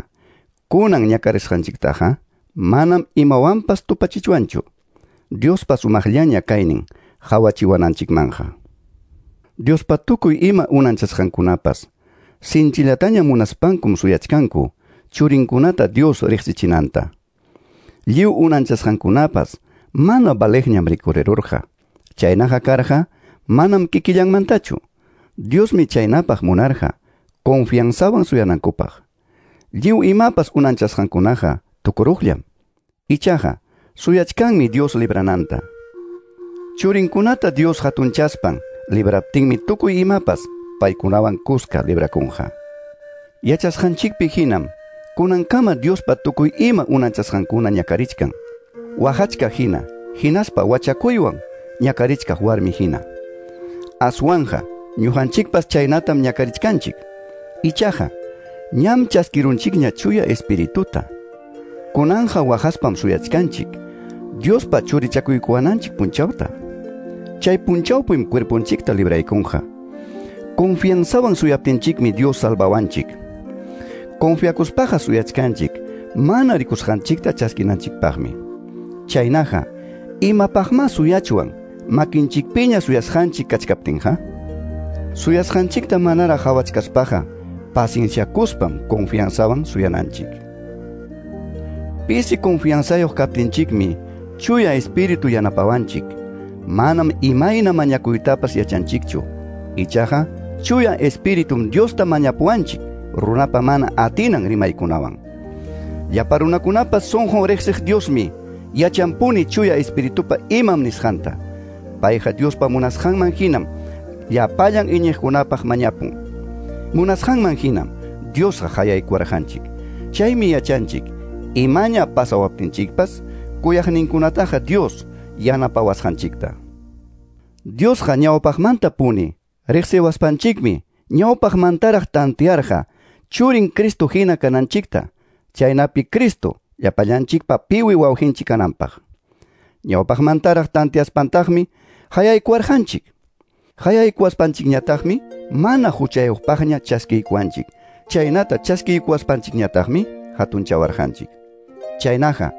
kunan ñakarisqanchiktaqa manam imawanpas tupachichwanchu. Diospa sumaqllaña kaynin hawachiwananchikmanja. Diospa tukuy ima unanchasqankunapas sinchillataña munaspankum suyachkanku churinkunata Dios riqsichinanta. Lliw unanchasqankunapas mana valeqñam rikurirurqa. Chaynaqa karqa manam kikillanmantachu. Diosmi chaynapaq munarqa confianzawan suyanankupaq. Lliw imapas unanchasqankunaqa tukuruqllam. Ichaqa suyachkanmi Dios librananta. Churinkunata Dios hatunchaspan libraptinmi tukuy imapas paykunawan kuska librakunqa. Yachasqanchikpi hinam kunankama Diospa tukuy ima unanchasqankuna ñakarichkan. Waqachka hina, hinaspa wachakuywan ñakarichkaq warmi hina. Aswanja ñuqanchikpas chaynatam ñakarichkanchik. Ichaqa ñam chaskirunchikña chuya Espirituta. Kunanja waqaspam suyachkanchik Diospa churichakuykuwananchik punchawta. Chay punchawpim cuerponchikta libraykunqa. Confianzawan suyaptinchikmi Dios salvawanchik. Confiakuspaqa suyachkanchik mana rikusqanchikta chaskinanchikpaqmi. Chaynaqa imapaqma suyachwan makinchikpiña suyasqanchik kachkaptinqa? Suyasqanchikta manaraq hawachkaspaqa pacienciakuspam confianzawan suyananchik. Pisi confianzayuq kaptinchikmi chuya Espíritu yanapawanchik. Manam imayna mañakuytapas yachanchikchu. Ichaqa chuya Espíritum Diosta mañapuwanchik runapa mana atinan rimaykunawan. Llapa runakunapas sunqun riqsiq Diosmi yachanpuni chuya Espiritupa imam nisqanta. Payqa Diospa munasqanman hinam llapallan iñiqkunapaq mañapun. Munasqanman hinam Diosqa hayaykuwarqanchik. Chaymi yachanchik imaña pasawaptinchikpas kuyaqninkunataqa Dios yanapawasqanchikta. Diosqa ñawpaqmanta puni riqsiwaspanchikmi ñawpaqmantaraq tantearqa churin Cristo hina kananchikta, chaynapi Cristo llapallanchikpa piwi wawqinchik kananpaq. Ñawpaqmantaraq tanteaspantaqmi hayaykuwarqanchik. Hayaykuwaspanchikñataqmi mana huchayuqpaqña chaskiykuwanchik. Chaynata chaskiykuwaspanchikñataqmi hatunchawarqanchik. Chaynaqa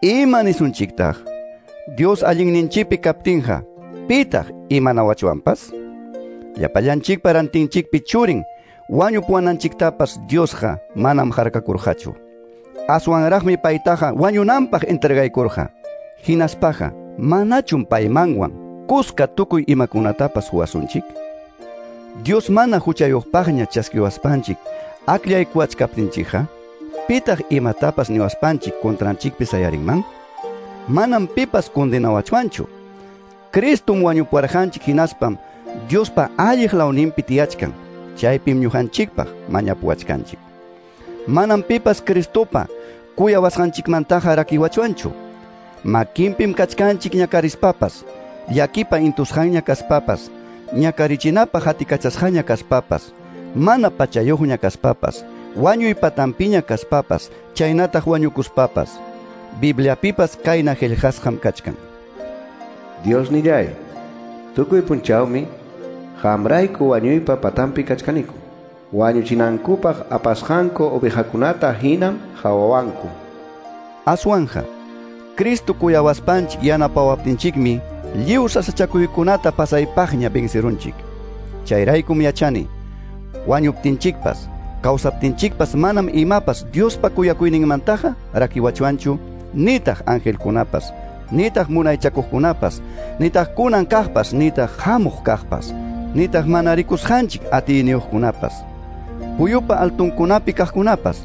ima nisunchiktaq? Dios allinninchikpi kaptinqa, pitaq imanawachwanpas? Llapallanchikpa rantinchikpi churin wañupuwananchiktapas Diosqa manam harkakurqachu. Aswanraqmi paytaqa wañunanpaq entregaykurqa. Hinaspaqa manachum paymanwan kuska tukuy imakunatapas huwasunchik? Dios mana huchayuqpaqña chaskiwaspanchik akllaykuwachkaptinchikqa, pitaq imatapas niwaspanchik contranchikpi sayarinman? Manam pipas condenawachwanchu. Cristum wañupuwarqanchik hinaspam Diospa alliq lawninpi tiyachkan, chaypim ñuqanchikpaq mañapuwachkanchik. Manam pipas Cristopa kuyawasqanchikmantaqa rakiwachwanchu. Makinpim kachkanchik ñakarispapas, llakipa intusqanña kaspapas, ñakarichinapaq hatikachasqaña kaspapas, mana pachayuqña kaspapas, wañuy patampiña kaspapas, chaynataq wañukuspapas. Bibliapipas kayna qillqasqam kachkan. Diosnillay, tukuy punchawmi qamrayku wañuypa patampi kachkaniku. Wañuchinankupaq apasqanku ovejakunata hinam hawawanku. Aswanja, Cristo kuyawaspanchik yanapawaptinchikmi lliw sasachakuykunata pasaypaqña vencerunchik. Chayraykum yachani, wañuptinchikpas, kawsaptinchikpas manam imapas Diospa kuyakuyninmantaqa rakiwachwanchu, nitaq angelkunapas, nitaq munaychakuqkunapas, nitaq kunan kaqpas, nitaq hamuq kaqpas, nitaq mana rikusqanchik atiyniyuqkunapas, puyupa altunkunapi kaqkunapas,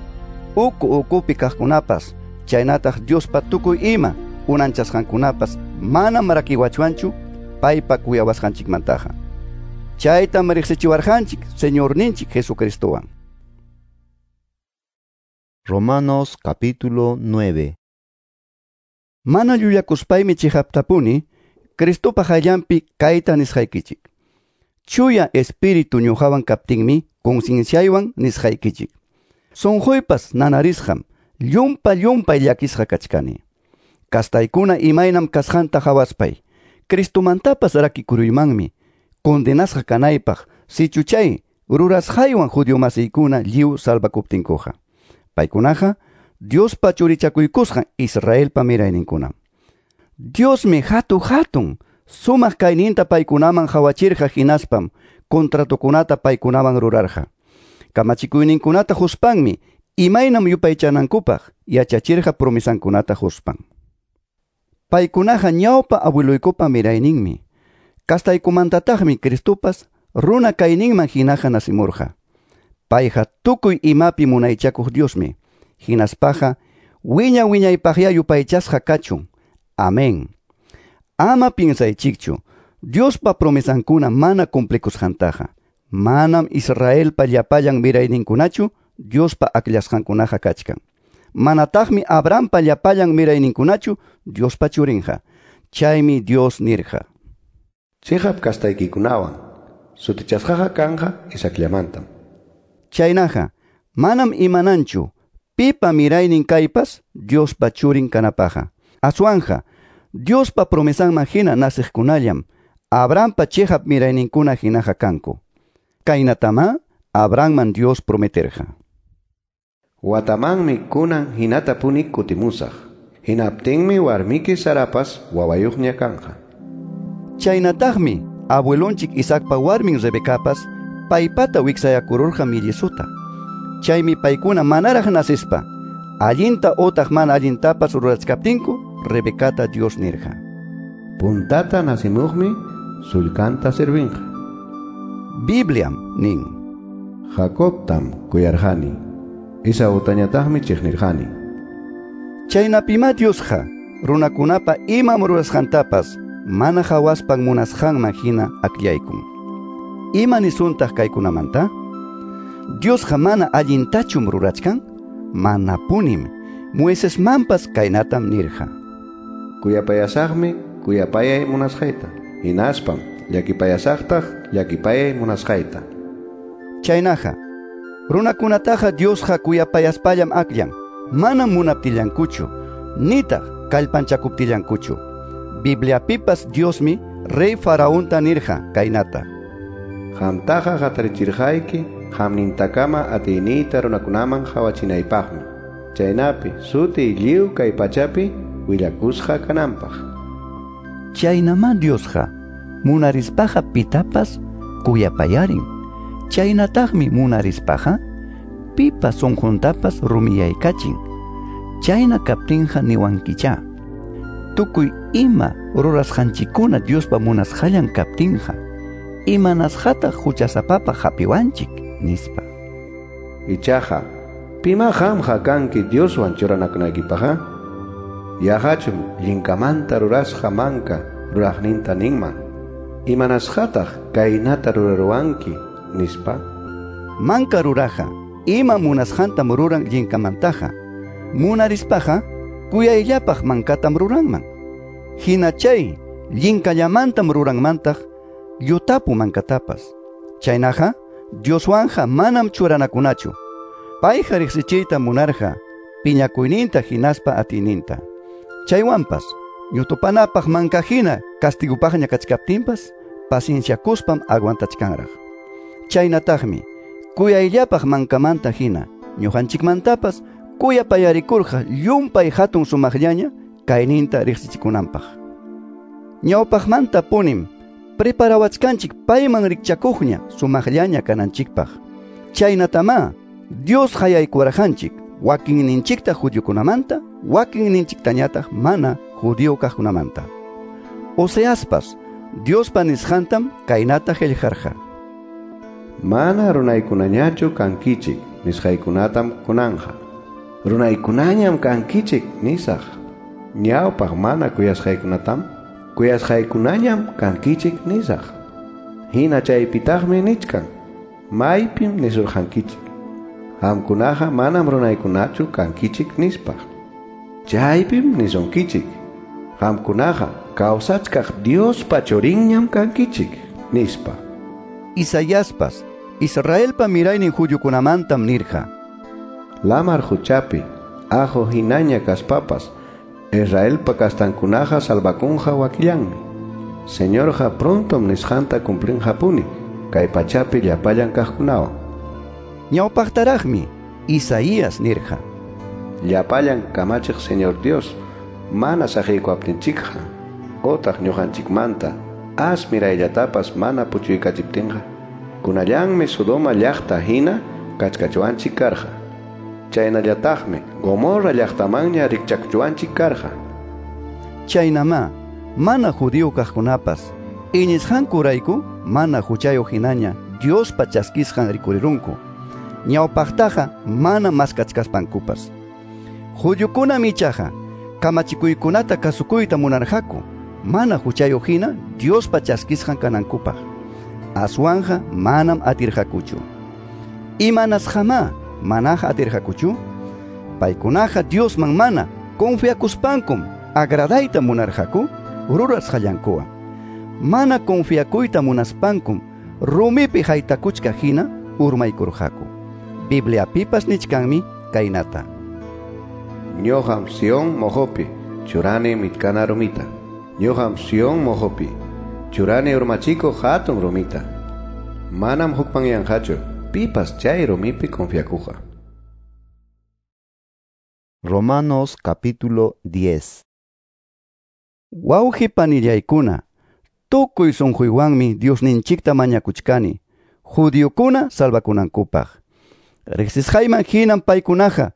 uku ukupi kaqkunapas, chaynataq Diospa tukuy ima unanchasqankunapas manam rakiwachwanchu paypa kuyawasqanchikmantaqa. Chaytam riqsichiwarqanchik Señorninchik Jesucristowan. Romanos capítulo 9. Mana llullakuspaymi chiqaptapuni Cristopa qayllanpi kayta nisqaykichik. Chuya Espíritu ñuqawan kaptinmi concienciaywan nisqaykichik. Sunquypas nanarisqam, llumpa llumpay llakisqa kachkani. Kastaykuna imaynam kasqanta hawaspay, Cristomantapas rakikuruymanmi, condenasqa kanaypaq, sichu chay rurasqaywan judío masiykuna lliw salvakuptinkuqa. Paykunaqa Diospa churichakuykusqan Israelpa mirayninkunam. Diosmi hatu hatun sumaq kayninta paykunaman hawachirqa hinaspam contratokunata paykunaman rurarqa. Kamachikuyninkunata huspanmi imaynam yupaychanankupaq yachachirqa promesankunata huspan. Paykunaqa ñawpa abueluykupa mirayninmi. Kastaykumantataqmi Cristopas runa kayninman hinaqa nasimurqa. Payqa tukuy imapi munaychakuq Diosmi. Hinaspaqa wiña wiñaypaqya yupaychasqa kachun. Amén. Ama piensaychikchu, Diospa promesankuna mana cumplikusqantaqa. Manam Israelpa llapallan mirayninkunachu Diospa akllasqankunaqa kachkan. Manataqmi Abrahampa llapallan mirayninkunachu Diospa churinqa. Chaymi Dios nirqa: Chiqap kastaykikunawan sutichasqaqa kanqa Isaacllamantam. Chaynaqa manam imananchu pipa miraynin kaypas Diospa churin kanapaqqa. Aswanja Diospa promesanman hina nasiqkunallam Abrahampa chiqap mirayninkuna hinaqa kanku. Kaynatama Abrahamman Dios prometerqa: Watamanmi kunan hinatapuni kutimusaq. Hinaptinmi warmiki Sarapas wawayuqña kanqa. Chaynataqmi abuelonchik Isaacpa warmin Rebecapas paypata wiksayakururqa millisuta. Chaymi paykuna manaraq nasispa allinta otaq mana allintapas rurachkaptinku Rebecata Dios nirqa: Puntata nasimuqmi sullkanta servinqa. Bibliam nin: Jacobtam kuyarqani, Esautañataqmi chiqnirqani. Chaynapima Diosqa runakunapa imam rurasqantapas mana hawaspan munasqanman hina akllaykun. Ima nisuntaq kaykunamanta? Diosqa mana allintachum rurachkan? Manapunim. Moisesmanpas kaynatam nirqa: Kuyapayasaqmi kuyapayay munasqayta, hinaspam llakipayasaqtaq llakipayay munasqayta. Chaynaqa runakunataqa Diosqa kuyapayaspallam akllan, manam munaptillankuchu, nitaq kallpanchakuptillankuchu. Bibliapipas Diosmi rey Faraonta nirqa kaynata: Qamtaqa hatarichirqayki qamnintakama atiyniyta runakunaman hawachinaypaqmi, chaynapi sutiy lliw kay pachapi willakusqa kananpaq. Chaynama Diosqa munarispaqa pitapas kuyapayarin. Chaynataqmi munarispaqa pipa sunquntapas rumiyaykachin. Chayna kaptinqa niwankichá, tukuy ima rurasqanchikkuna Diospa munasqallan kaptinqa, imanasqataq huchasapapaq hapiwanchik, nispa. Ichaqa, pima qamqa kanki Dioswan churanakunaykipaqqa? Yaqachum llinkamanta rurasqa manka ruraqninta ninman: Imanasqataq kaynata ruraruwanki, nispa. Manka ruraqa ima munasqantam ruran llinkamantaqa. Munarispaqa kuyayllapaq mankatam ruranman. Hina chay llinkallamantam ruranmantaq llutapu mankatapas. Chaynaqa Dioswanja manam churanakunachu. Payqa riqsichiyta munarqa piñakuyninta hinaspa atiyninta. Chaywanpas ñutupanapaq mankahina castigupaqña kachkaptinpas pacienciakuspam aguantachkanraq. Chaynataqmi kuyayllapaq mankamanta hina ñuqanchikmantapas kuyapayarikurqa llumpay hatun sumaqllaña kayninta riqsichikunanpaq. Ñawpaqmanta punim preparawachkanchik payman rikchakuqña sumaqllaña kananchikpaq. Chaynatamá Dios hayaykuwarqanchik wakinninchikta judiokunamanta, wakinninchiktañataq mana judío kaqkunamanta. Oseaspas Diospa nisqantam kaynata qillqarqa: Mana runaykunañachu kankichik nisqaykunatam kunanja. Runaykunañam kankichik nisaq. Ñawpaq mana kuyasqaykunatam kuyasqaykunañam kankichik nisaq. Hina chaypitaqmi nichkan. Maypim nisurqankichik. Qamkunaqa manam runaykunachu kankichik nispa. Chaypim nisunkichik. Qamkunaqa kawsachkaq Diospa churinñam kankichik nispa. Isaiaspas Israelpa miraynin judiokunamantam nirqa: Lamar huchapi ajo hinaña kaspapas Israelpa kastankunaqa salvakunqa wakillanmi. Señorqa prontom nisqanta cumplinqapuni kay pachapi llapallan kaqkunawan. Ñawpaqtaraqmi Isaías nirqa: Llapallan kamachiq Señor Dios mana saqiykuwaptinchikqa otaq ñuqanchikmanta as mirayllatapas mana puchuykachiptinqa kunallanmi Sodoma llaqta hina kachkachuwanchik karqa. Chaynallataqmi Gomorra llaqtamanña rikchakuchuwanchik karqa. Chaynamá mana judío kaqkunapas iñisqankurayku mana huchayuq hinaña Diospa chaskisqan rikurirunku. Ñawpaqtaqa mana maskachkaspankupas. Judiokunam ichaqa kamachikuykunata kasukuyta munarqaku mana huchayuq hina Diospa chaskisqan kanankupaq. Aswanja manam atirqakuchu. Imanasqamá manaqa atirqakuchu? Paykunaqa Diosman mana confiakuspankum agradayta munarqaku rurasqallankuwan. Mana confiakuyta munaspankum rumipi haytakuchka hina urmaykurqaku. Bibliapipas nichkanmi kaynata: Ñuqam Sion mojopi churani mitkana rumita. Ñuqam Sion mojopi churani urmachikuq hatun rumita. Manam hukmanyanqachu pipas chay rumipi confiakuqa. Romanos capítulo 10. Wawqi panillaykuna, tukuy sunquywanmi Diosninchikta mañakuchkani judiokuna salvakunankupaq. Riqsisqayman hinam paykunaqa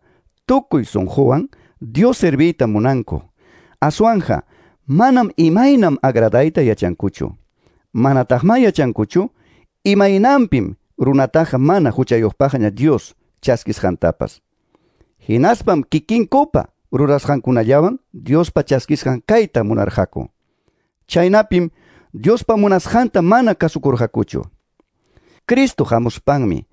tukuy sunquwan Dios serviyta munanku. Aswanja manam imaynam agradayta yachankuchu. Manataqma yachankuchu imaynanpim runataqa mana huchayuqpaqña Dios chaskisqantapas. Hinaspam kikinkupa rurasqankunallawan Diospa chaskisqan kayta munarqaku. Chaynapim Diospa munasqanta mana kasukurqakuchu. Cristo hamuspanmi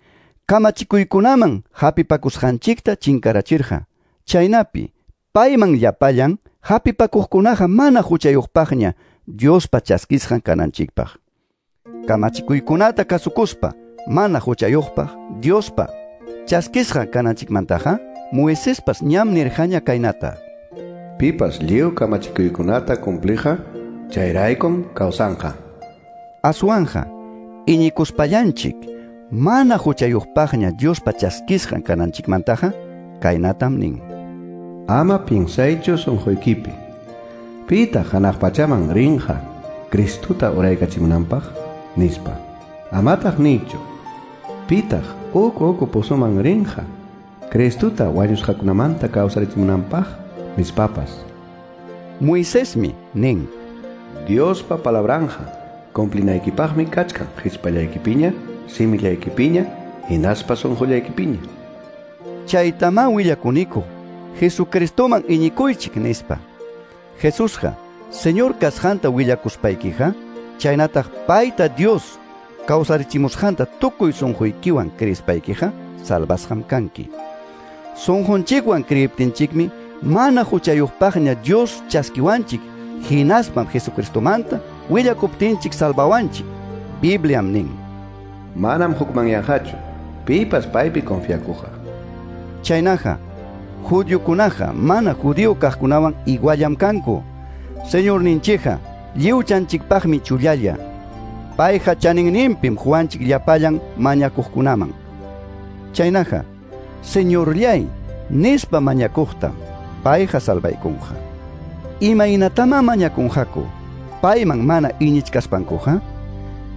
kamachikuykunaman hapipakusqanchikta chinkarachirqa. Chaynapi payman llapallan hapipakuqkunaqa mana huchayuqpaqña Diospa chaskisqan kananchikpaq. Kamachikuykunata kasukuspa mana huchayuqpaq Diospa chaskisqan kananchikmantaqa Moisespas ñam nirqaña kaynata: Pipas lliw kamachikuykunata cumpliqa chayraykum kawsanqa. Aswanja iñikuspallanchik mana huchayuqpaqña Diospa chaskisqan kananchikmantaqa kaynatam nin: Ama pinsaychu sunquykipi. Pitaq hanaq pachaman rinqa Cristuta uraykachimunanpaq nispa. Amataq niychu. Pitaq uku uku pozoman rinqa Cristuta wañusqakunamanta kawsarichimunanpaq nispapas. Moisesmi nin: Diospa palabranja cumplinaykipaqmi kachkan hichpallaykipiña, simillaykipiña, hinaspa sunqullaykipiña. Chaytamá willakuniku Jesucristoman iñikuychik nispa. Jesusqa Señor kasqanta willakuspaykiqa chaynataq payta Dios kawsarichimusqanta tukuy sunquykiwan creespaykiqa salvasqam kanki. Sunqunchikwan creiptinchikmi mana huchayuqpaqña Dios chaskiwanchik, hinaspam Jesucristomanta willakuptinchik salvawanchik. Bibliam nin: Manam hukmanyanqachu pipas paypi confiakuqa. Chaynaqa, judiokunaqa mana judío kaqkunawan iguallam kanku. Señorninchikqa lliwchanchikpaqmi chullalla. Payqa chaninninpim huwanchik llapallan mañakuqkunaman. Chaynaqa, Señorllay nispa mañakuqta payqa salvaykunqa. Imaynatama mañakunqaku payman mana iñichkaspankuqa?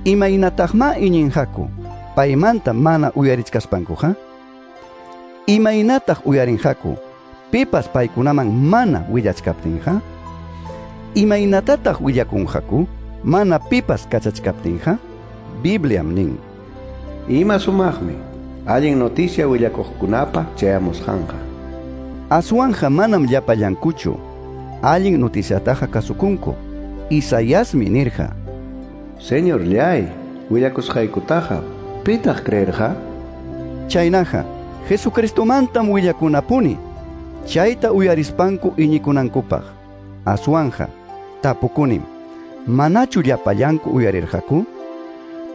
Imaynataqma iñinqaku paymanta mana uyarichkaspankuqa? Imaynataq uyarinqaku pipas paykunaman mana willachkaptinqa? Imaynatataq willakunqaku mana pipas kachachkaptinqa? Bibliam nin: Ima sumaqmi allin noticia willakuqkunapa chayamusqanqa. Aswanja manam llapallankuchu allin noticiataqa kasukunku. Isaiasmi nirqa: Señorllay, willakusqaykutaqa pitaq creerqa? Chaynaqa, Jesucristomantam willakunapuni, chayta uyarispanku iñikunankupaq. Aswanja, tapukunim, manachu llapallanku uyarirqaku?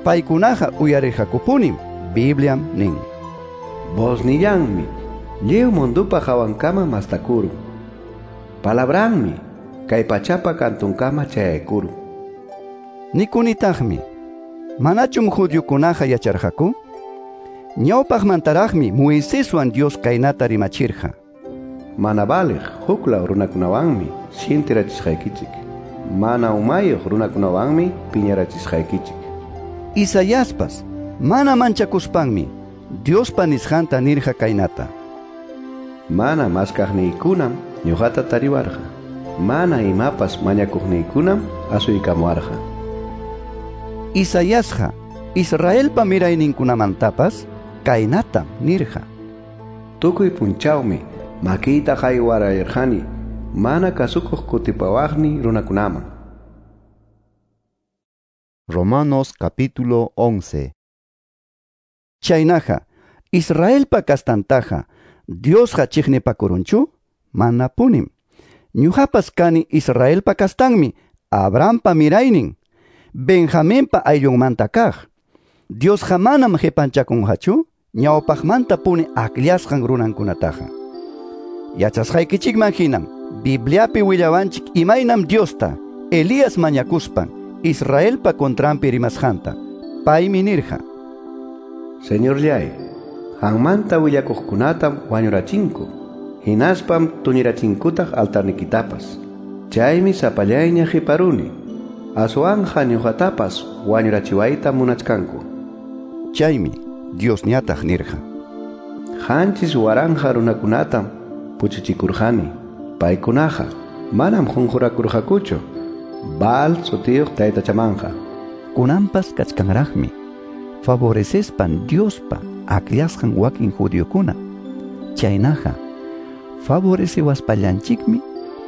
Paykunaqa uyarirqakupunim, Bibliam nin: Voznillanmi lliw mundupa hawankama mastakurun. Palabranmi kay pachapa kantunkama chayaykurun. Nikunitaqmi, manachum judiokunaqa yacharqaku? Ñawpaqmantaraqmi Moiseswan Dios kaynata rimachirqa: Mana valiq huklaw runakunawanmi sintirachisqaykichik. Mana umayuq runakunawanmi piñarachisqaykichik. Isaiaspas mana manchakuspanmi Diospa nisqanta nirqa kaynata: Mana maskaqniykunam ñuqata tariwarqa. Mana imapas mañakuqniykunam asuykamuwarqa. Isaiasqa Israelpa mirayninkunamantapas kaynatam nirqa: Tukuy punchawmi makiyta haywarayarqani mana kasukuq kutipawaqni runakunaman. Romanos capítulo 11. Chaynaqa, Israelpa kastantaqa Diosqa chiqnipakurunchu? Manapunim. Ñuqapas kani Israelpa kastanmi, Abrahampa miraynin, Benjaminpa ayllunmanta kaq. Diosqa manam qipanchakunqachu ñawpaqmanta puni akllasqan runankunataqa. Yachasqaykichikman hinam Bibliapi willawanchik imaynam Diosta Elías mañakuspan Israelpa contranpi rimasqanta. Paymi nirqa: Señorllay, qanmanta willakuqkunatam wañurachinku, hinaspam tuñirachinkutaq altarnikitapas. Chaymi sapallayña qiparuni. Aswanja ñuqatapas wañurachiwayta munachkanku. Chaymi Diosñataq nirqa: 7,000 runakunatam puchuchikurqani. Paykunaqa manam qunqurakurqakuchu Baal sutiyuq taytachamanqa. Kunanpas kachkanraqmi favorecespan Diospa akllasqan wakin judiokuna. Chaynaqa favorecewaspallanchikmi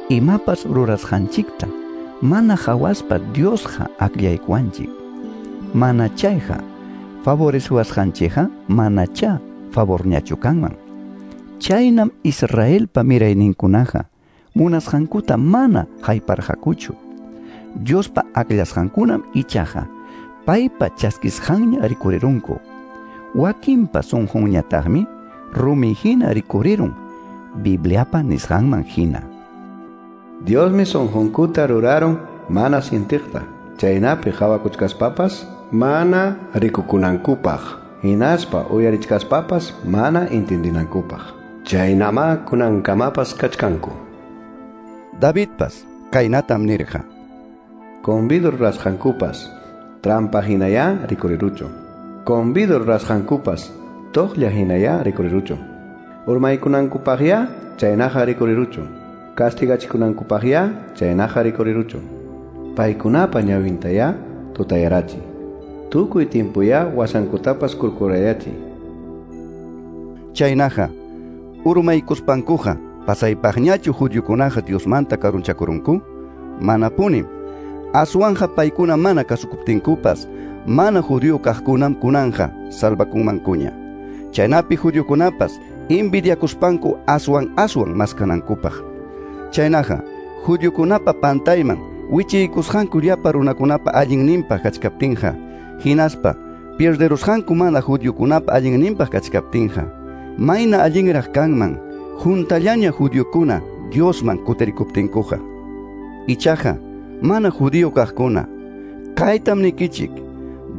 imapas rurasqanchikta mana hawaspa Diosqa akllaykuwanchik. Mana chayqa favorecewasqanchikqa manachá favorñachu kanman. Chaynam Israelpa mirayninkunaqa munasqankuta mana hayparqakuchu. Diospa akllasqankunam ichaqa paypa chaskisqanña rikurirunku. Wakinpa sunqunñataqmi rumi hina rikurirun, Bibliapa nisqanman hina. Diosmi sunqunkuta rurarun mana sintiqta, chaynapi qawakuchkaspapas mana rikukunankupaq, hinaspa uyarichkaspapas mana intindinankupaq. Chaynama kunankamapas kachkanku. Davidpas kaynatam nirqa: Convido rurasqankupas trampa hinayá rikuriruchun. Convido rurasqankupas toqlla hinayá rikuriruchun. Urmaykunankupaqyá chaynaqa rikuriruchun. Castigachikunankupaqyá chaynaqa rikuriruchun. Paykunapa ñawintayá tutayarachi. Tukuy tiempuyá wasankutapas kurkurayachi. Chaynaqa urmaykuspankuqa pasaypaqñachu judiokunaqa Diosmanta karunchakurunku? Manapunim. Aswanja paykuna mana kasukuptinkupas mana judío kaqkunam kunanja salvakunmankuña. Chaynapi judiokunapas envidiakuspanku aswan aswan maskanankupaq. Chaynaqa, judiokunapa pantayman wichiykusqanku llapa runakunapa allinninpaq kachkaptinqa, hinaspa pierderusqanku mana judiokunapa allinninpaq kachkaptinqa, mayna allinraq kanman juntallaña judiokuna Diosman kutirikuptinkuqa. Ichaqa, mana judío kaqkuna, kaytam nikichik,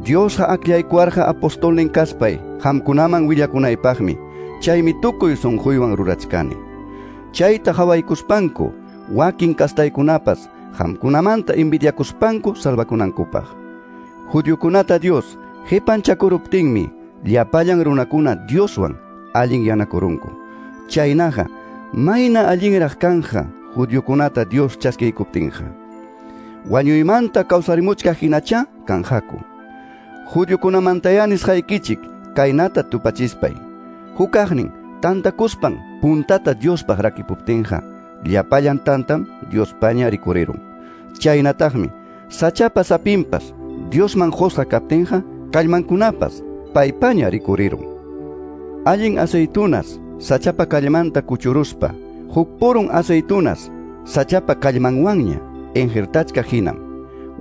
Diosqa akllaykuwarqa apostolnin kaspay qamkunaman willakunaypaqmi, chaymi tukuy sunquywan rurachkani. Chayta qhawaykuspanku, wakin kastaykunapas qamkunamanta envidiakuspanku salvakunankupaq. Judiokunata Dios qipanchakuruptinmi llapallan runakuna Dioswan allinyanakurunku. Chaynaqa, mayna allinraq kanja judiokunata Dios chaskiykuptinqa. Wañuymanta kawsarimuchkaq hinacha kanqaku. Judiokunamantaya nisqaykichik kaynata tupachispay. Hukaqnin tantakuspan puntata Diospaq rakipuptinqa, llapallan tantam Diospaña rikurirun. Chaynataqmi sachapa sapinpas Diosman qusqa kaptinqa, kallmankunapas paypaña rikurirun. Allin aceitunas sachapa kallmanta kuchuruspa, huk purun aceitunas sachapa kallmanwanña injertachka hinam.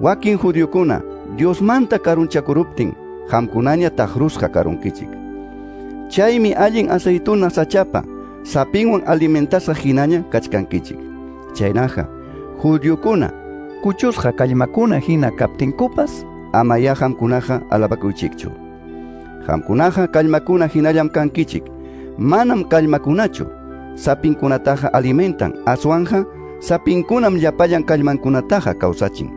Wakin judiokuna Diosmanta karunchakuruptin, qamkunaña taqrusqa karunkichik. Chaymi allin aceituna sachapa sapinwan alimentasqa hinaña kachkankichik. Chaynaqa, judiokuna kuchusqa kallmakuna hina kaptinkupas, amayá qamkunaqa alabakuychikchu. Qamkunaqa kallmakuna hinallam kankichik. Manam kallmakunachu sapinkunataqa alimentan, aswanja sapinkunam llapallan kallmankunataqa kawsachin.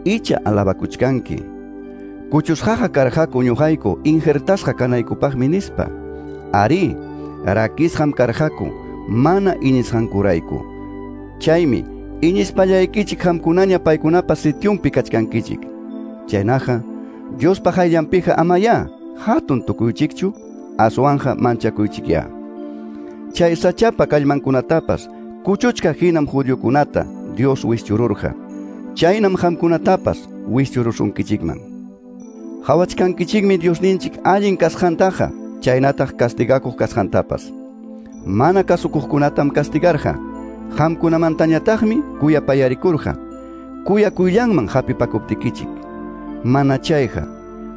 Icha alabakuchkanki. Kuchusqaqa karqaku ñuqayku injertasqa kanaykupaqmi nispa. Ari, rakisqam karqaku mana iñisqankurayku. Chaymi iñispallaykichik qamkunaña paykunapa sityunpi kachkankichik. Chaynaqa, Diospa qayllanpiqa amayá hatun tukuychikchu, aswanja manchakuychikyá. Chay sachapa kallmankunatapas kuchuchka hinam judiokunata Dios wischururqa. Chaynam qamkunatapas wischurusunkichikman. Qhawachkankichikmi Diosninchik allin kasqantaqa, chaynataq castigakuq kasqantapas. Mana kasukuqkunatam castigarqa, qamkunamantañataqmi kuyapayarikurqa, kuyakuyllanman hapipakuptikichik. Mana chayqa,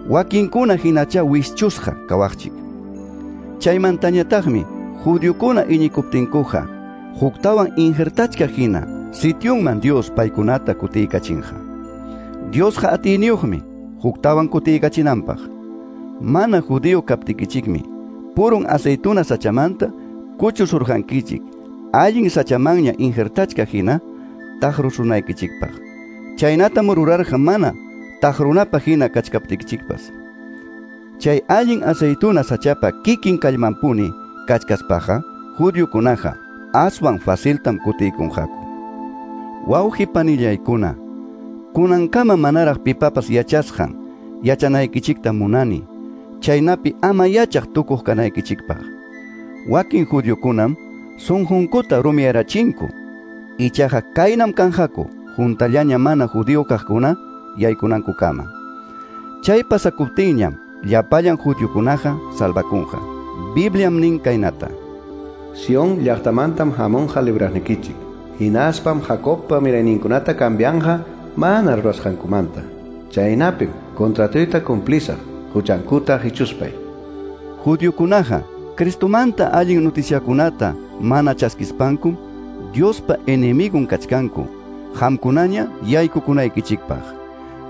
wakinkuna hinacha wischusqa kawaqchik. Chaymantañataqmi judiokuna iñikuptinkuqa, huktawan injertachka hina sityunman Dios paykunata kutiykachinqa. Diosqa atiyniyuqmi huktawan kutiykachinanpaq. Mana judío kaptikichikmi purun aceituna sachamanta kuchusurqankichik, allin sachamanña injertachka hina taqrusunaykichikpaq. Chaynatam rurarqa mana taqrunapaq hina kachkaptikichikpas. Chay allin aceituna sachapa kikin kallmanpuni kachkaspaqa, judiokunaqa aswan faciltam kutiykunqaku. Wawqi panillaykuna, kunankama manaraq pipapas yachasqan yachanaykichikta munani, chaynapi ama yachaq tukuq kanaykichikpaq. Wakin judiokunam sunqunkuta rumiyarachinku, ichaqa kaynam kanqaku juntallaña mana judío kaqkuna yaykunankukama. Chay pasakuptinñam llapallan judiokunaqa salvakunqa. Bibliam nin kaynata: Sion llaqtamantam hamunqa libraqnikichik, hinaspam Jacobpa mirayninkunata cambianja mana rurasqankumanta. Chaynapim contratoyta cumplisaq huchankuta hichuspay. Judiokunaqa Cristomanta allin noticiakunata mana chaskispankum Diospa enemigun kachkanku, qamkunaña yaykukunaykichikpaq.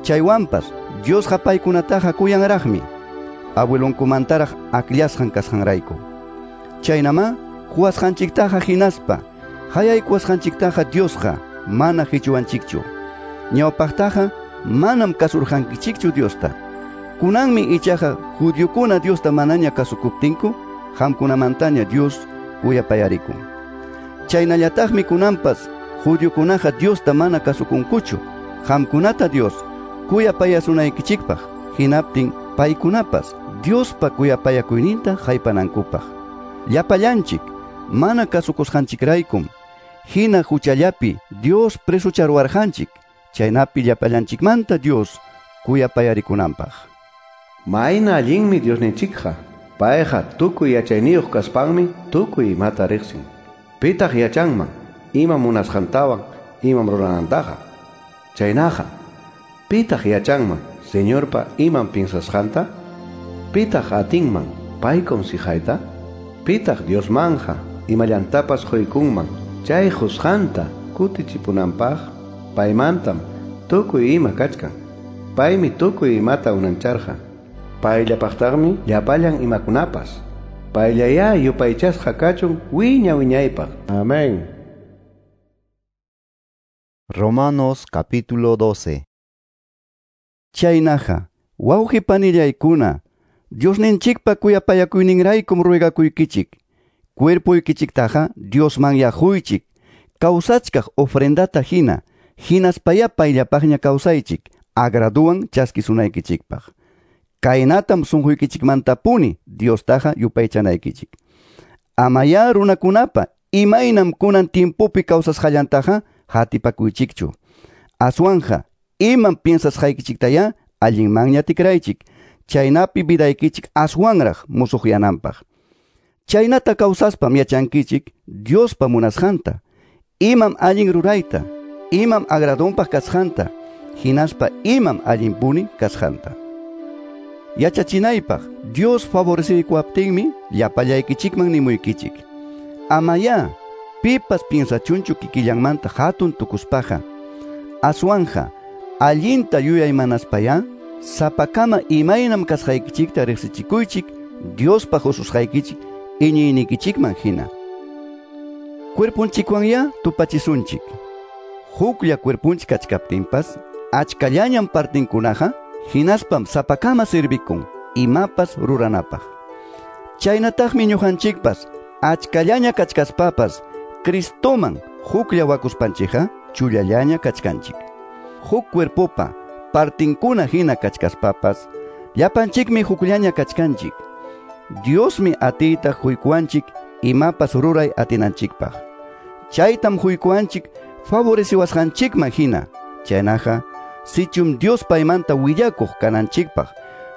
Chaywanpas Diosqa paykunataqa kuyanraqmi, abuelonkumantaraq akllasqan kasqanrayku. Chaynamá quwasqanchiktaqa hinaspa hayaykuwasqanchiktaqa Diosqa mana hichuwanchikchu. Ñawpaqtaqa manam kasurqankichikchu Diosta. Kunanmi ichaqa judiokuna Diosta manaña kasukuptinku, qamkunamantaña Dios kuyapayarikun. Chaynallataqmi kunanpas judiokunaqa Diosta mana kasukunkuchu, qamkunata Dios kuyapayasunaykichikpaq, hinaptin paykunapas Diospa kuyapayakuyninta haypanankupaq. Llapallanchik mana kasukusqanchikraykum hina huchallapi Dios presucharuwarqanchik, chaynapi llapallanchikmanta Dios kuyapayarikunanpaq. Mayna allinmi Diosninchikqa, Payqa tukuy yachayniyuq kaspanmi tukuy imata riqsin. Pitaq yachanman imam munasqantawan imam ruranantaqa. Chaynaqa, pitaq yachanman Señorpa imam piensasqanta? Pitaq atinman pay consijayta? Pitaq Diosmanja imallantapas quykunman chay qusqanta kutichipunanpaq? Paymantam tukuy ima kachkan. Paymi tukuy imata unancharqa. Payllapaqtaqmi llapallan imakunapas. Payllayá yupaychasqa kachun wiña wiñaypaq. Amén. Romanos capítulo 12. Chaynaqa, wawqi panillaykuna, Diosninchikpa kuyapayakuyninraykum ruegakuykichik. Cuerpuykichiktaqa Diosman yaquychik. Kawsachkaq ofrendata hina, hinaspaya payllapaqña kawsaychik, agraduwan chaskisunaykichikpaq. Kaynatam sunquykichikmantapuni Diostaqa yupaychanaykichik. Amaya runakunapa imaynam kunan tiempopi kawsasqallantaqa hatipakuychikchu. Aswanja imam piensasqaykichiktaya allinmanña tikraychik, chaynapi vidaykichik aswanraq musuqyananpaq. Chaynata kawsaspam yachankichik Diospa munasqanta, imam allin rurayta, imam agradonpaq kasqanta, hinaspa imam allinpuni kasqanta. Yachachinaypaq Dios favoreciykuwaptinmi llapallaykichikman nimuykichik. Amaya pipas piensachunchu kikillanmanta hatun tukuspaqa. Aswanja allinta yuyaymanaspaya sapakama imaynam kasqaykichikta riqsichikuychik Diospa hususqaykichik iñiynikichikman hina. Cuerpunchikwanya tupachisunchik. Huklla cuerpunchik kachkaptinpas achkallañam partinkunaqa hinaspam sapakama sirvikun imapas ruranapaq. Chaynataqmi ñuqanchikpas achkallaña kachkaspapas Cristoman huklla wakuspanchikqa chullallaña kachkanchik. Huk cuerpopa partinkuna hina kachkaspapas llapanchikmi hukllaña kachkanchik. Diosmi atiyta huykuanchik imapas ruray atinanchikpaq. Chaytam huykuanchik favoreciwasqanchikman hina. Chaynaqa sichum Dios paymanta willakuq kananchikpaq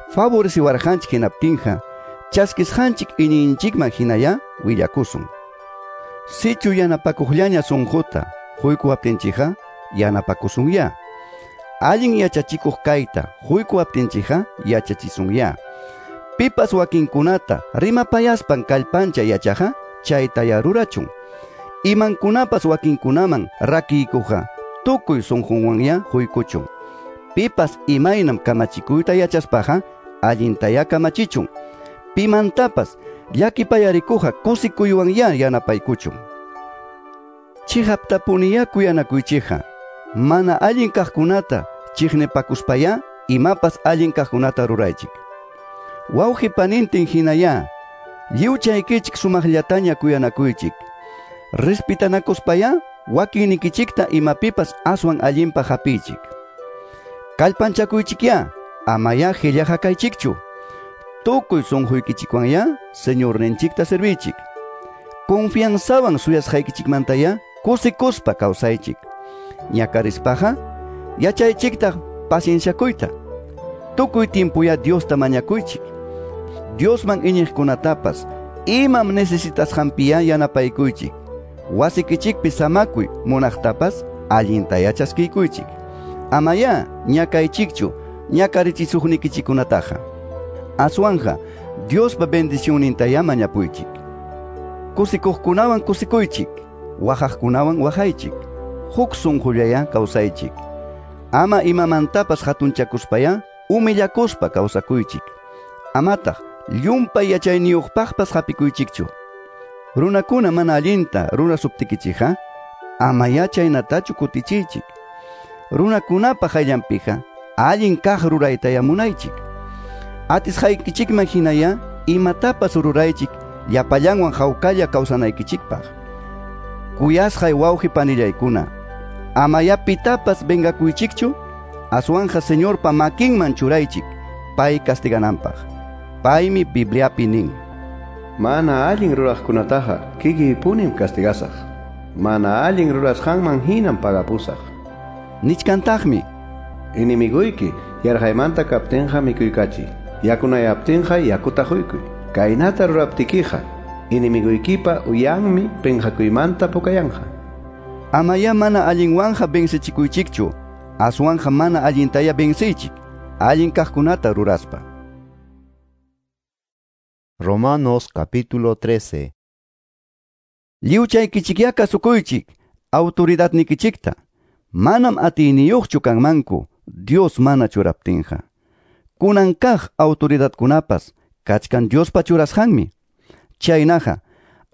favoreciwarqanchik hinaptinqa chaskisqanchik iñiyninchikman hinaya willakusun. Sichu yanapakuqllaña sunquta huykuwaptinchikqa yanapakusunya. Allin yachachikuq kayta huykuwaptinchikqa yachachisunya. Pipas wakinkunata rimapayaspan kallpancha yachaqa chaytaya rurachun. Imankunapas wakinkunaman rakiykuqa tukuy sunqunwanya huykuchun. Pipas imaynam kamachikuyta yachaspaqa allintaya kamachichun. Pimantapas llakipayarikuqa kusikuywan yanapaykuchun. Chiqaptapuniya kuyanakuychikqa mana allin kaqkunata chiqnipakuspaya imapas allin kaqkunata ruraychik. Wawqi panintin hinaya lliwchaykichik sumaqllataña kuyanakuychik. Respitanakuspaya wakinnikichikta imapipas aswan allinpaq hapiychik. Kallpanchakuychikya amaya qillaqa kaychikchu. Tukuy sunquykichikwanya Señorninchikta servichik. Confianzawan suyasqaykichikmantaya kusikuspa kawsaychik. Ñakarispaqa yachaychiktaq pacienciakuyta. Tukuy tiempuya Diosta mañakuychik. Diosman iñiqkunatapas imam necesitasqanpiya yanapaykuychik. Wasikichikpi samakuy munaqtapas allintaya chaskiykuychik. Amaya ñakaychikchu ñakarichisuqnikichikunataqa. Aswanja Diospa bendicionnintaya mañapuychik. Kusikuqkunawan kusikuychik, waqaqkunawan waqaychik. Huk sunqullaya kawsaychik. Ama imamantapas hatunchakuspaya humillakuspa kawsakuychik. Amataq llumpay yachayniyuqpaqpas hapikuychikchu. Runakuna mana allinta rurasuptikichikqa ama yachaynatachu kutichiychik. Runakunapa hayllanpiqa allin kaq ruraytaya munaychik. Atisqaykichikman hinaya imatapas ruraychik llapallanwan hawkalla kawsanaykichikpaq. Kuyasqay wawqi panillaykuna, amaya pitapas vengakuychikchu, aswanja Señorpa makinman churaychik pay castigananpaq. Paymi Bibliapi nin: Mana allin ruraqkunataqa kikiypunim castigasaq. Mana allin rurasqanman hinam pagapusaq. Nichkantaqmi: Enemiguyki yarqaymanta kaptinqa mikuykachiy, yakunayaptinqa yakuta quykuy. Kaynata ruraptikiqa, enemiguykipa uyanmi penqakuymanta pukayanqa. Amaya mana allinwanja vencechikuychikchu, aswanja mana allintaya venceychik, allin kaqkunata ruraspa. Romanos capítulo 13. Lliwchaykichikyá kasukuychik, autoridadnikichikta. Manam atiyniyuqchu kanmanku, Dios mana churaptinqa. Kunan kaq autoridadkunapas kachkan Diospa churasqanmi. Chaynaqa,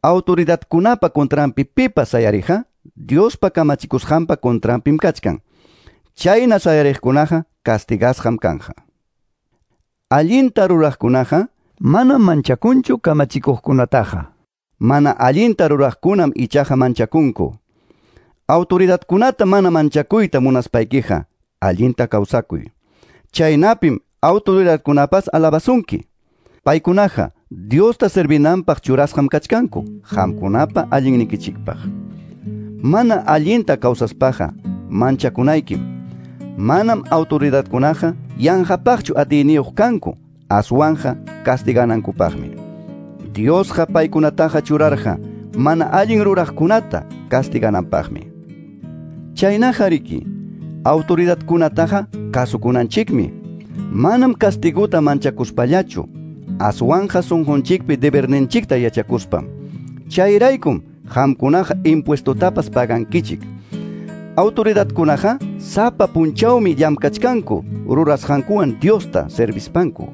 autoridadkunapa contranpi pipas sayariqa, Diospa kamachikusqanpa contranpim kachkan. Chayna sayariqkunaqa castigasqam kanja. Allinta ruraqkunaqa manam manchakunchu kamachikuqkunataqa. Mana allinta ruraqkunam ichaqa manchakunku. Autoridadkunata mana manchakuyta munaspaykiqa, allinta kawsakuy. Chaynapim autoridadkunapas alabasunki. Paykunaqa Diosta servinanpaq churasqam kachkanku, qamkunapa allinnikichikpaq. Mana allinta kawsaspaqa manchakunaykim. Manam autoridadkunaqa yanqapaqchu atiyniyuq kanku, aswanja castiganankupaqmi. Diosqa paykunataqa churarqa mana allin ruraqkunata castigananpaqmi. Chaynaqa riki, autoridadkunataqa kasukunanchikmi. Manam castiguta manchakuspallachu, aswanja sunqunchikpi deberninchikta yachakuspam. Chayraykum qamkunaqa impuestotapas pagankichik. Autoridadkunaqa sapa punchawmi llamkachkanku rurasqankuwan Diosta servispanku.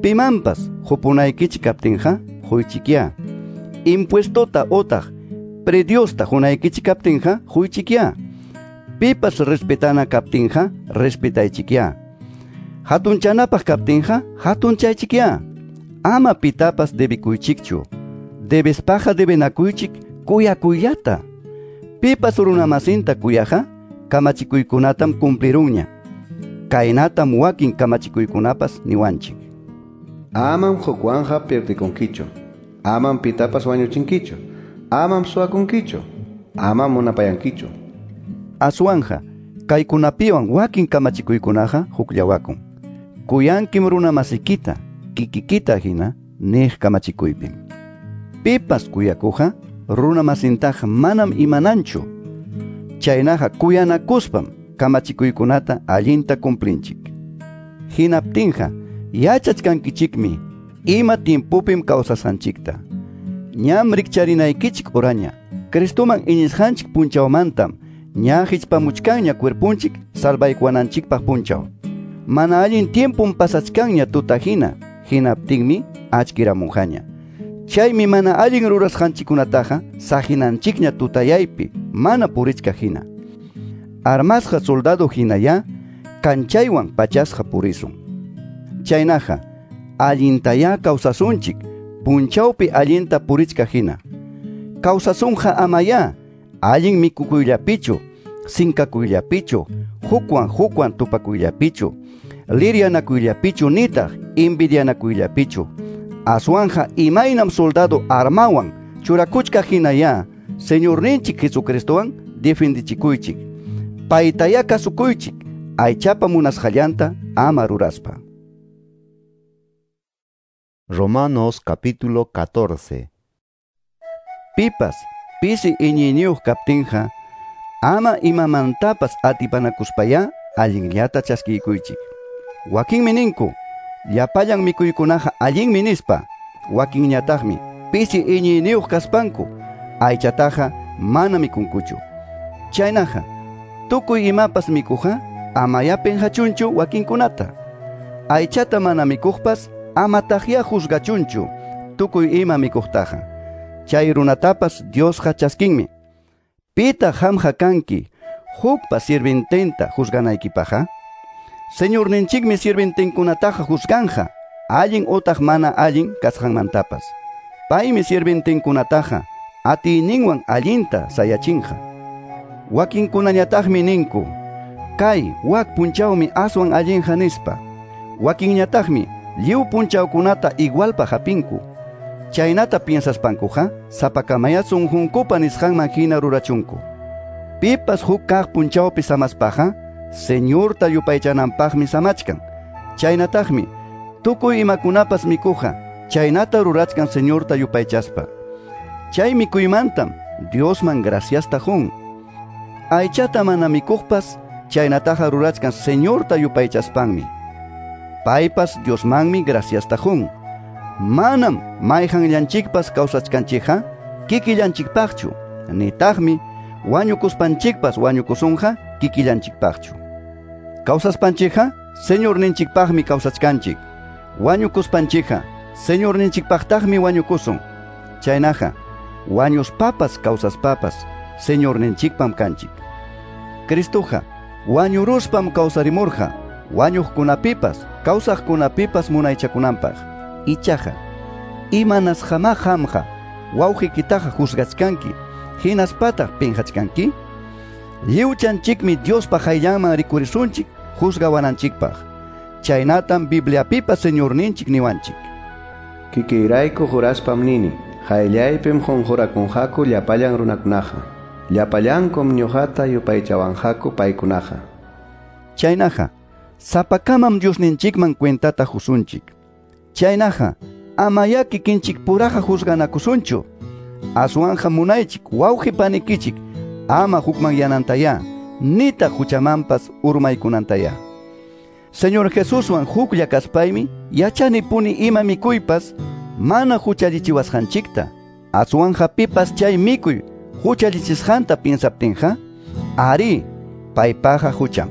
Pimanpas hupunaykichik kaptinqa huychikyá. Impuestota otaq prediosta hunaykichik kaptinqa huychikyá. Pipas respetana kaptinqa respetaychikyá. Hatunchanapaq kaptinqa hatunchaychikyá. Ama pitapas debikuychikchu. Debespaqa debenakuychik kuyakuyllata. Pipas runamasinta kuyaqa kamachikuykunatam cumplirunña. Kaynatam wakin kamachikuykunapas niwanchik. Amam hukwanja pierdikunkichu. Amam pitapas wañuchinkichu. Amam suwakunkichu. Amam munapayankichu. Aswanja, kaykunapiwan wakin kamachikuykunaqa hukllawakun. Kuyankim runamasikita, kikikita hina niq kamachikuypim. Pipas kuyakuqa runamasintaqa manam imananchu. Chaynaqa kuyanakuspam kamachikuykunata allinta cumplinchik. Hinaptinqa yachachkankichikmi ima tiempopim kawsasqanchikta. Ñam rikcharinaykichik oraña. Cristoman iñisqanchik punchawmantam ña hichpamuchkanña cuerpunchik salvaykuwananchikpaq punchaw. Mana allin tiempom pasachkanña tuta hina, hinaptinmi achkiramunqaña. Chaymi mana allin rurasqanchikkunataqa sahinanchikña tutayaypi mana purichka hina. Armasqa soldado hinaya kanchaywan pachasqa purisun. Chaynaqa allintaya kawsasunchik punchawpi allinta purichka hina. Kawsasunqa amaya allin mikukuyllapichu, sinkakuyllapichu, hukwan hukwan tupakuyllapichu, liryanakuyllapichu nitaq envidianakuyllapichu. Aswanja imaynam soldado armawan churakuchka hinaya Señorninchik Jesucristowan defendichikuychik. Paytaya kasukuychik aychapa munasqallanta ama ruraspa. Romanos capítulo 14. Pipas pisi iñiyniyuq kaptinqa ama imamantapas atipanakuspaya allinllata chaskikuychik. Wakinmi ninku, llapallan mikuykunaqa allinmi nispa. Wakinñataqmi pisi iñiyniyuq kaspanku aychataqa mana mikunkuchu. Chaynaqa tukuy imapas mikuqa amaya penqachunchu wakinkunata. Aychata mana mikuqpas amataqya juzgachunchu tukuy ima mikuqtaqa. Chay runatapas Diosqa chaskinmi. Pita qamqa kanki hukpa sirviententa juzganaykipaqqa? Señorninchikmi sirvientenkunataqa juzganja allin utaq mana allin kasqanmantapas. Paymi sirvientenkunataqa atiyninwan allinta sayachinqa. Wakinkunañataqmi ninku, kay wak punchawmi aswan allinqa nispa. Wakinñataqmi lliw punchawkunata igualpa hapinku. Chaynata piensaspankuqa sapakamaya sunqunkupa nisqanman hina rurachunku. Pipas huk kaq punchawpi samaspaqa Señorta yupaychananpaqmi samachkan. Chaynataqmi tukuy imakunapas mikuqa chaynata rurachkan Señorta yupaychaspa. Chay mikuymantam Diosman graciasta qun. Aychata mana mikuqpas chaynataqa rurachkan Señorta yupaychaspanmi. Paypas Diosmanmi graciasta qun. Manam mayqanllanchikpas kawsachkanchikqa kikillanchikpaqchu, nitaqmi wañukuspanchikpas wañukusunqa kikillanchikpaqchu. Kawsaspanchikqa Señorninchikpaqmi kawsachkanchik. Wañukuspanchikqa Señorninchikpaqtaqmi wañukusun. Chaynaqa wañuspapas kawsaspapas Señorninchikpam kanchik. Cristoqa wañuruspam kawsarimurqa wañuqkunapipas kawsaqkunapipas munaychakunanpaq. Ichaqa imanasqamá qamqa wawqiykitaqa juzgachkanki hinaspataq pinqachkanki? Lliwchanchikmi Diospa qayllanman rikurisunchik juzgawananchikpaq. Chaynatam Bibliapipas Señorninchik niwanchik. Kikiyrayku juraspam nini, qayllaypim qunqurakunqaku llapallan runakunaqa. Llapallankum ñuqata yupaychawanqaku paykunaqa. Chaynaqa sapakamam Diosninchikman cuentata husunchik. Chaynaqa amayá kikinchik puraqa juzganakusunchu. Aswanja munaychik wawqi panikichik ama hukmanyanantayá, nitaq huchamanpas urmaykunantayá. Señor Jesuswan huklla kaspaymi yachanipuni ima mikuypas mana huchallichiwasqanchikta. Aswanja pipas chay mikuy huchallichisqanta piensaptinqa, ari, paypaqa hucham.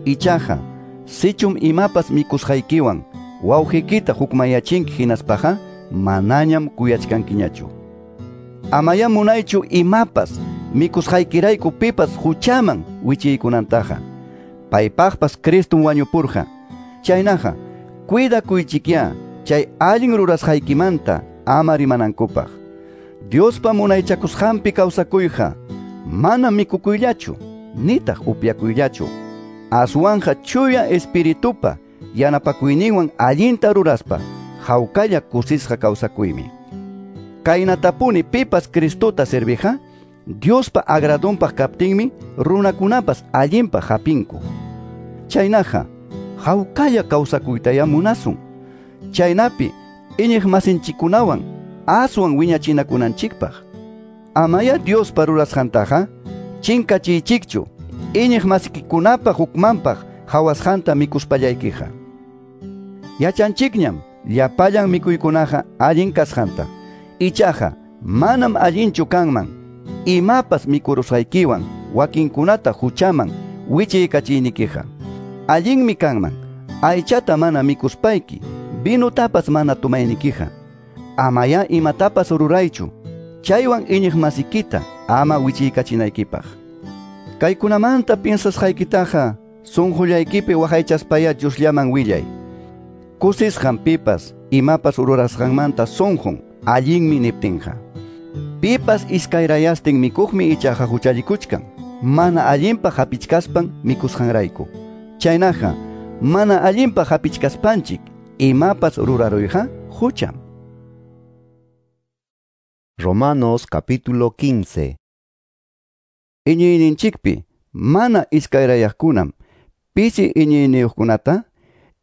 Ichaqa, sichum imapas mikusqaykiwan wawqiykita hukmayachinki hinaspaqa manañam kuyachkankiñachu. Amayá munaychu imapas mikusqaykirayku pipas huchaman wichiykunantaqa. Paypaqpas Cristum wañupurqa. Chaynaqa, cuidakuychikyá chay allin rurasqaykimanta ama rimanankupaq. Diospa munaychakusqanpi kawsakuyqa mana mikukuyllachu, nitaq upyakuyllachu. Aswanja chuya espiritupa yanapakuyninwan allinta ruraspa hawkalla kusisqa kawsakuymi. Kaynatapuni pipas Cristota serviqa, Diospa agradonpaq kaptinmi runakunapas allinpaq hapinku. Chaynaqa hawkalla kawsakuytayá munasun. Chaynapi iñiq masinchikkunawan aswan wiñachinakunanchikpaq. Amayá Diospa rurasqantaqa chinkachiychikchu iñiq masikikunapa hukmanpaq hawasqanta mikuspallaykiqa. Yachanchikñam llapallan mikuykunaqa allin kasqanta. Ichaqa manam allinchu kanman imapas mikurusqaykiwan wakinkunata huchaman wichiykachiynikiqa. Allinmi kanman aychata mana mikuspayki, vinutapas mana tomaynikiqa. Amayá imatapas ruraychu chaywan iñiq masikita ama wichiykachinaykipaq. Kaykunamanta piensasqaykitaqa sunqullaykipi waqaychaspayá Diosllaman willay. Kusisqan pipas imapas rurasqanmanta sunqun allinmi niptinqa. Pipas iskayrayastin mikuqmi ichaqa huchallikuchkan, mana allinpaq hapichkaspan mikusqanrayku. Chaynaqa mana allinpaq hapichkaspanchik imapas ruraruyqa hucham. Romanos capítulo 15. Iñiyninchikpi mana iskayrayaqkunam pisi iñiyniyuqkunata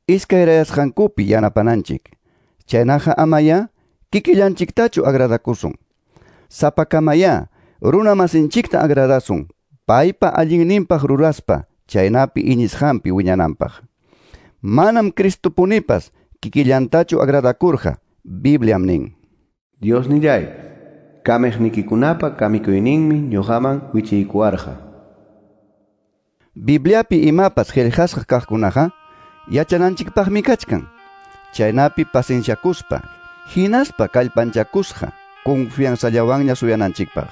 iskayrayasqankupi yanapananchik. Chaynaqa amayá kikillanchiktachu agradakusun. Sapakamayá runa masinchikta agradasun, paypa allinninpaq ruraspa chaynapi iñisqanpi wiñananpaq. Manam Cristopunipas kikillantachu agradakurqa, Bibliam nin. Diosnillay, kamiqnikikunapa kamikuyninmi ñuqaman wichiykuwarqa. Bibliapi imapas qillqasqa kaqkunaqa yachananchikpaqmi kachkan. Chaynapi pacienciakuspa, hinaspa kallpanchakusqa confianzallawanña suyananchikpaq.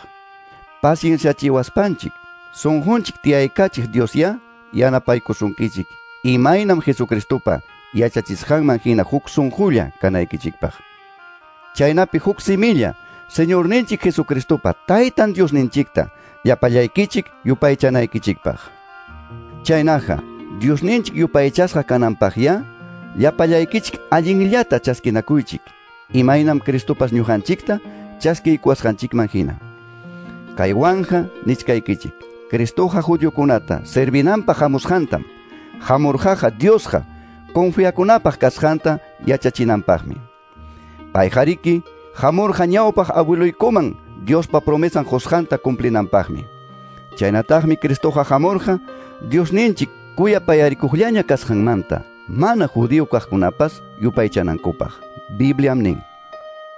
Pacienciachiwaspanchik, sunqunchik tiyaykachiq Diosyá yanapaykusunkichik imaynam Jesucristopa yachachisqanman hina huk sunqulla kanaykichikpaq. Chaynapi huk similla Señorninchik Jesucristopa Taytan Diosninchikta llapallaykichik yupaychanaykichikpaq. Chaynaqa Diosninchik yupaychasqa kananpaqyá llapallaykichik allinllata chaskinakuychik, imaynam Cristopas ñuqanchikta chaskiykuwasqanchikman hina. Kaywanja nichkaykichik, Cristoqa judiokunata servinanpaq hamusqantam, hamurqaqa Diosqa confiakunapaq kasqanta yachachinanpaqmi. Payqariki hamurqa ñawpaq abueluykuman Diospa promesan qusqanta cumplinanpaqmi. Chaynataqmi Cristoqa hamurqa Diosninchik kuyapayarikuqllaña kasqanmanta mana judío kaqkunapas yupaychanankupaq. Bibliam nin: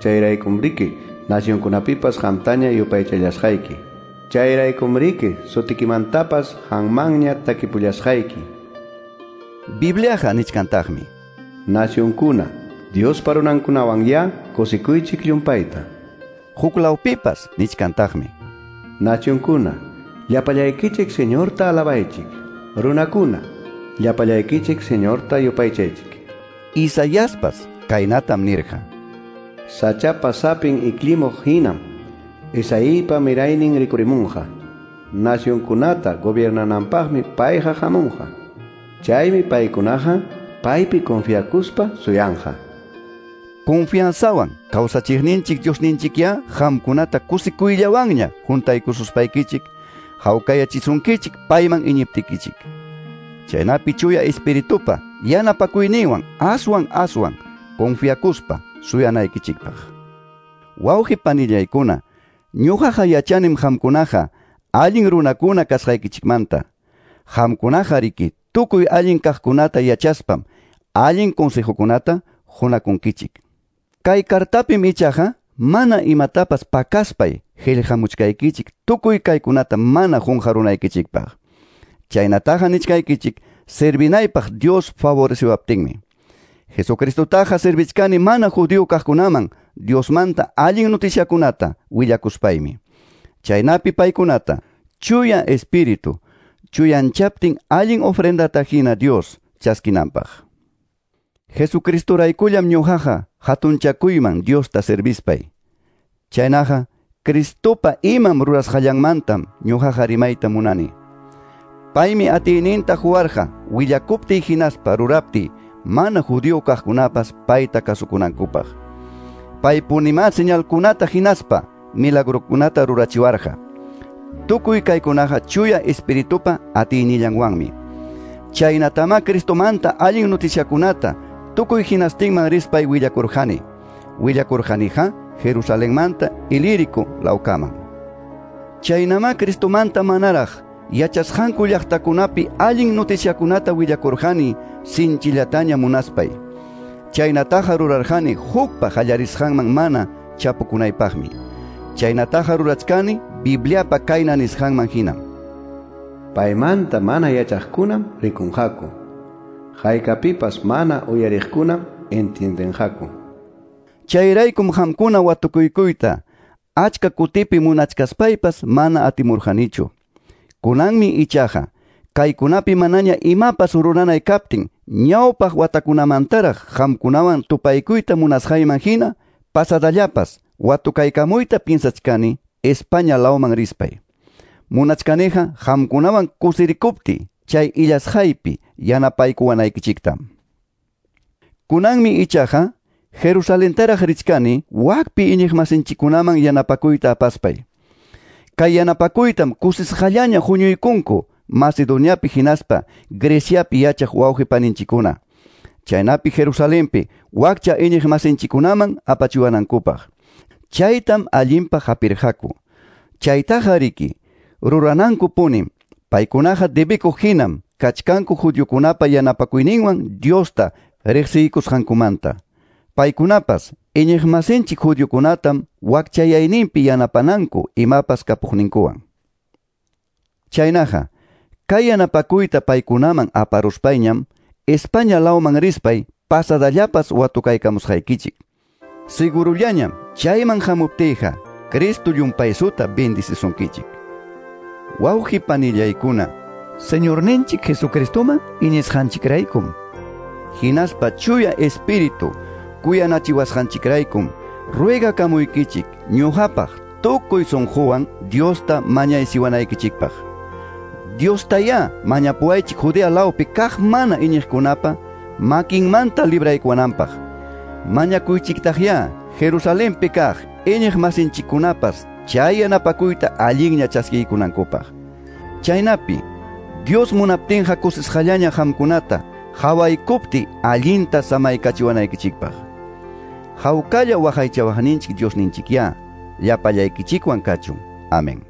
Chayraykumriki nacionkunapipas qamtaña yupaychallasqayki. Chayraykumriki sutikimantapas qanmanña takipullasqayki. Bibliaqa nichkantaqmi: Nacionkuna, Diospa runankunawan kusikuychik llumpayta. Huklawpipas nichkantaqmi: Nacionkuna, llapallaykichik Señorta alabaychik. Runakuna, llapallaykichik Señorta yupaychaychik. Isaiaspas kaynatam nirqa: Sachapa sapin iklimuq hinam Isaípa miraynin rikurimunqa. Nacionkunata gobiernananpaqmi payqa hamunqa. Chaymi paykunaqa paypi confiakuspa suyanqa. Confianzawan kawsachiqninchik Diosninchikya qamkunata kusikuyllawanña juntaykususpaykichik hawkayachisunkichik payman iñiptikichik. Chaynapi chuya espiritupa yanapakuyninwan aswan aswan confiakuspa suyanaykichikpaq. Wawqi panillaykuna, ñuqaqa yachanim qamkunaqa allin runakuna kasqaykichikmanta. Qamkunaqa riki tukuy allin kaqkunata yachaspam allin consejokunata qunakunkichik. Kay kartapim ichaqa mana imatapas pakaspay qillqamuchkaykichik tukuy kaykunata mana qunqarunaykichikpaq. Chaynataqa nichkaykichik servinaypaq Dios favoreciwaptinmi. Jesucristotaqa servichkani mana judío kaqkunaman Diosmanta allin noticiakunata willakuspaymi. Chaynapi paykunata chuya espíritu chuyanchaptin allin ofrendata hina Dios chaskinanpaq. Jesucristoraykullam ñuqaqa hatunchakuyman Diosta servispay. Chaynaqa Cristopa imam rurasqallanmantam ñuqaqa rimayta munani. Paymi atiyninta huwarqa willakuptiy hinaspa ruraptiy mana judío kaqkunapas payta kasukunankupaq. Paypunimá señalkunata hinaspa milagrokunata rurachiwarqa. Tukuy kaykunaqa chuya espiritupa atiynillanwanmi. Chaynatamá Cristomanta allin noticiakunata tukuy hinastinman rispay willakurqani. Willakurqaniqa Jerusalenmanta Ilírico lawkaman. Chaynamá Cristomanta manaraq yachasqanku llaqtakunapi allin noticiakunata willakurqani sinchillataña munaspay. Chaynataqa rurarqani hukpa qallarisqanman mana chapukunaypaqmi. Chaynataqa rurachkani Bibliapa kayna nisqanman hinam. Paymanta mana yachaqkunam rikunqaku. Haykapipas mana uyariqkunam entiendenqaku. Chayraykum qamkuna watukuykuyta achka kutipi munachkaspaypas mana atimurqanichu. Kunanmi ichaqa kaykunapi manaña imapas ruranay kaptin ñawpaq watakunamantaraq qamkunawan tupaykuyta munasqayman hina pasadallapas watukaykamuyta piensachkani España lawman rispay. Munachkaniqa qamkunawan kusirikuptiy chay illasqaypi yanapaykuwanaykichiktam. Kunanmi ichaqa Jerusalentaraq richkani wakpi iñiqmasinchikkunaman yanapakuyta apaspay. Kay yanapakuytam kusisqallaña huñuykunku Macedoniapi hinaspa Greciapi yachaq wawqi paninchikuna. Chaynapi Jerusalenpi wakcha iñiqmasinchikkunaman apachiwanankupaq. Chaytam allinpaq hapirqaku. Chaytaqa riki ruranankupunim. Paykunaqa debikuq hinam kachkanku judiokunapa yanapakuyninwan Diosta riqsiykusqankumanta. Paykunapas iñiqmasinchik judiokunatam wakchayayninpi yanapananku imapas kapuqninkuwan. Chaynaqa kay yanapakuyta paykunaman aparuspayñam España lawman rispay pasadallapas watukaykamusqaykichik. Sigurullañam chayman hamuptiyqa Cristo llumpaysuta bendicisunkichik. Wawqi panillaykuna, Señorninchik Jesucristoman iñisqanchikraykum. Hinaspa chuya espíritu kuyanachiwasqanchikraykum ruegakamuykichik ñuqapaq tukuy sunquwan Diosta mañaysiwanaykichikpaq. Diostayá mañapuwaychik Judea lawpi kaq mana iñiqkunapa makinmanta libraykuwananpaq. Mañakuychiktaqyá Jerusalenpi kaq iñiqmasinchikkunapas chay yanapakuyta allinña chaskiykunankupaq. Chaynapi Dios munaptinqa kusisqallaña qamkunata hawaykupti allinta samaykachiwanaykichikpaq. Hawkalla waqaychawaqninchik Diosninchikyá llapallaykichikwan kachun. Amén.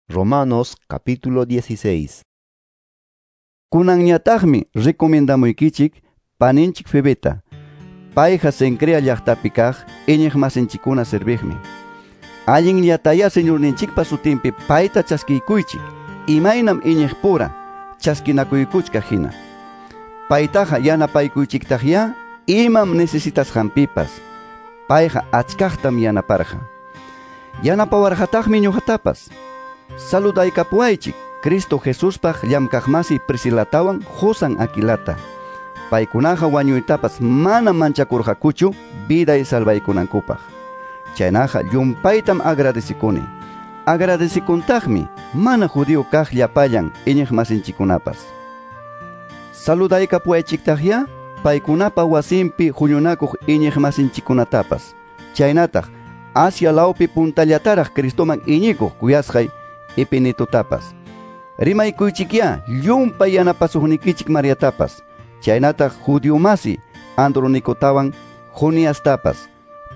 Romanos capítulo 16. Kunanñataqmi recomendamuykichik paninchik Febeta. Payqa Cencrea llaqtapi kaq iñiqmasinchikkuna serviqmi. Allinllataya Señorninchikpa sutinpi payta chaskiykuychik, imaynam iñiqpura chaskinakuykuchkaq hina. Paytaqa yanapaykuychiktaqyá imam necesitasqanpipas. Payqa achkaqtam yanaparqa. Yanapawarqataqmi ñuqatapas. Saludaykapuwaychik Cristo Jesuspaq llamkaqmasi Priscilatawan Josan Aquilata. Paykunaqa wañuytapas mana manchakurqakuchu viday salvaykunankupaq. Chaynaqa llumpaytam agradecikuni. Agradecikuntaqmi mana judío kaq llapallan iñiqmasinchikkunapas. Saludaykapuwaychiktaqyá paykunapa wasinpi huñunakuq iñiqmasinchikkunatapas. Chaynataq Asia lawpi puntallataraq Cristoman iñikuq kuyasqay Epinetotapas. Rimaykuychikyá llumpay yanapasuqnikichik Mariatapas. Chaynataq judiomasi Andronikotawan Joniastapas.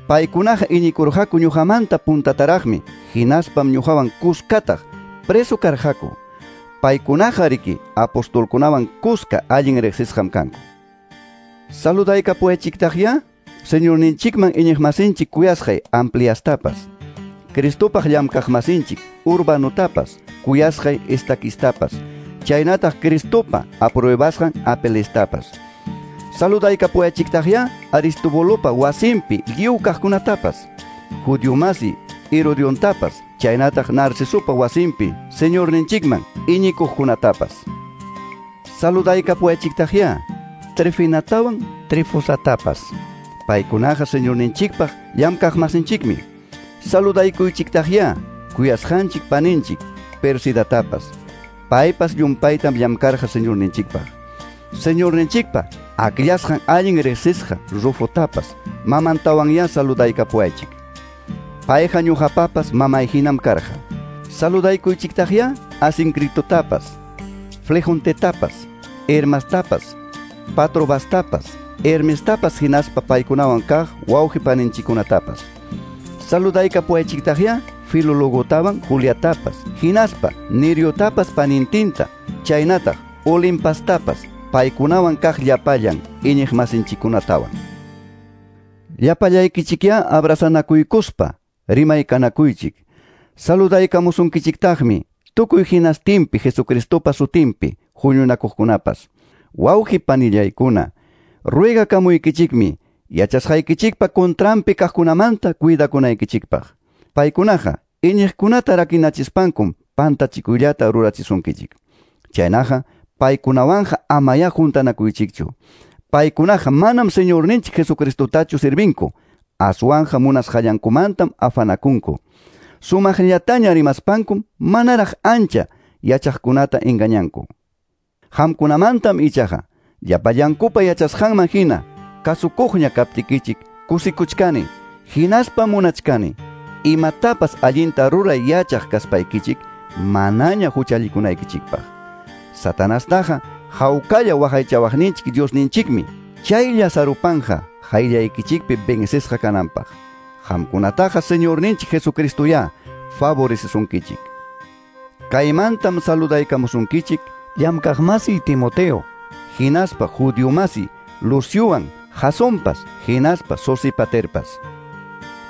Paykunaqa iñikurqaku ñuqamanta puntataraqmi, hinaspam ñuqawan kuskataq preso karqaku. Paykunaqa riki apostolkunawan kuska allin riqsisqam kanku. Saludaykapuwaychiktaqyá Señorninchikman iñiqmasinchik kuyasqay Ampliastapas, Cristopaq llamkaqmasinchik Urbanotapas, kuyasqay Estaquistapas, chaynataq Cristopa apruebasqan Apelestapas. Saludaykapuwaychiktaqyá Aristobolopa wasinpi lliw kaqkunatapas, Judiomasi Herodiontapas, chaynataq Narcisopa wasinpi Señorninchikman iñikuqkunatapas. Saludaykapuwaychiktaqyá Trifinatawan Trifosatapas. Paykunaqa Señorninchikpaq llamkaqmasinchikmi. Saludaykuychiktaqyá kuyasqanchik paninchik Persidatapas. Paypas llumpaytam llamkarqa Señorninchikpaq. Señorninchikpa akllasqan allin riqsisqa Rufotapas mamantawanyá saludaykapuwaychik. Payqa ñuqapapas mamay hinam karqa. Saludaykuychiktaqyá Asincritotapas, Flejontetapas, Hermastapas, Patrobastapas, Hermestapas hinaspa paykunawan kaq wawqi paninchikkunatapas. Saludaykapuwaychiktaqyá Filologotawan Juliatapas, hinaspa Neriotapas panintinta, chaynataq Olimpastapas, paykunawan kaq llapallan iñiqmasinchikkunatawan. Llapallaykichikyá abrazanakuykuspa rimaykanakuychik. Saludaykamusunkichiktaqmi tukuy hinastinpi Jesucristopa sutinpi huñunakuqkunapas. Wawqi panillaykuna, ruegakamuykichikmi yachasqaykichikpa contranpi kaqkunamanta cuidakunaykichikpaq. Paykunaqa iñiqkunata rakinachispankum pantachikuyllata rurachisunkichik. Chaynaqa paykunawanqa amayá juntanakuychikchu. Paykunaqa manam Señorninchik Jesucristotachu sirvinku, aswanqa munasqallankumantam afanakunku. Sumaqllataña rimaspankum manaraq ancha yachaqkunata engañanku. Qamkunamantam ichaqa llapallankupa yachasqanman hina kasukuqña kaptikichik kusikuchkani, hinaspa munachkani imatapas allinta ruray yachaq kaspaykichik manaña huchallikunaykichikpaq. Satanastaqa hawkalla waqaychawaqninchik Diosninchikmi chaylla sarupanja hayllaykichikpi vencesqa kananpaq. Qamkunataqa Señorninchik Jesucristoyá favorecesunkichik. Kaymantam saludaykamusunkichik llamkaqmasi Timoteo, hinaspa judiomasi Luciowan, Jasonpas, hinaspa Sosipaterpas.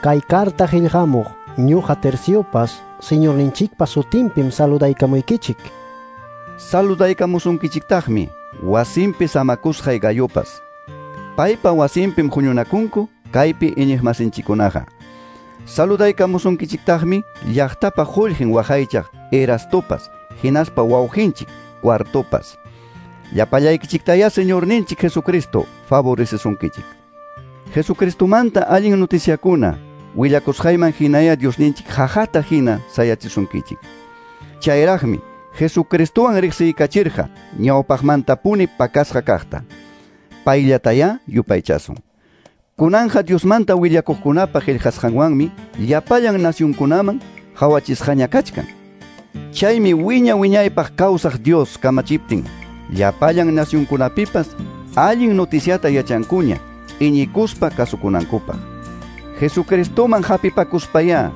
Kay carta qillqamuq ñuqa Terciopas, Señorninchikpa sutinpim saludaykamuykichik. Saludaykamusunkichiktaqmi wasinpi samakusqay Gayopas. Paypa wasinpim huñunakunku kaypi iñiqmasinchikkunaqa. Saludaykamusunkichiktaqmi llaqtapa qullqin waqaychaq Erastopas, hinaspa wawqinchik Cuartopas. Llapallaykichiktayá Señorninchik Jesucristo favorecesunkichik. Jesucristomanta allin noticiakuna willakusqayman hinaya Diosninchik jajata hina sayachisunkichik. Chayraqmi Jesucristowan riqsiykachirqa ñawpaqmantapuni pakasqa kaqta. Payllatayá yupaychasun. Kunanja Diosmanta willakuqkunapa qillqasqanwanmi llapallan nacionkunaman qhawachisqaña kachkan. Chaymi wiña wiñaypaq kawsaq Dios kamachiptin llapallan nacionkunapipas allin noticiata yachankuña iñikuspa kasukunankupaq. Jesucristoman hapipakuspayá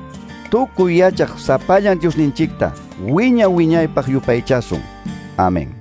tukuy yachaq sapallan Diosninchikta wiña wiñaypaq yupaychasun. Amén.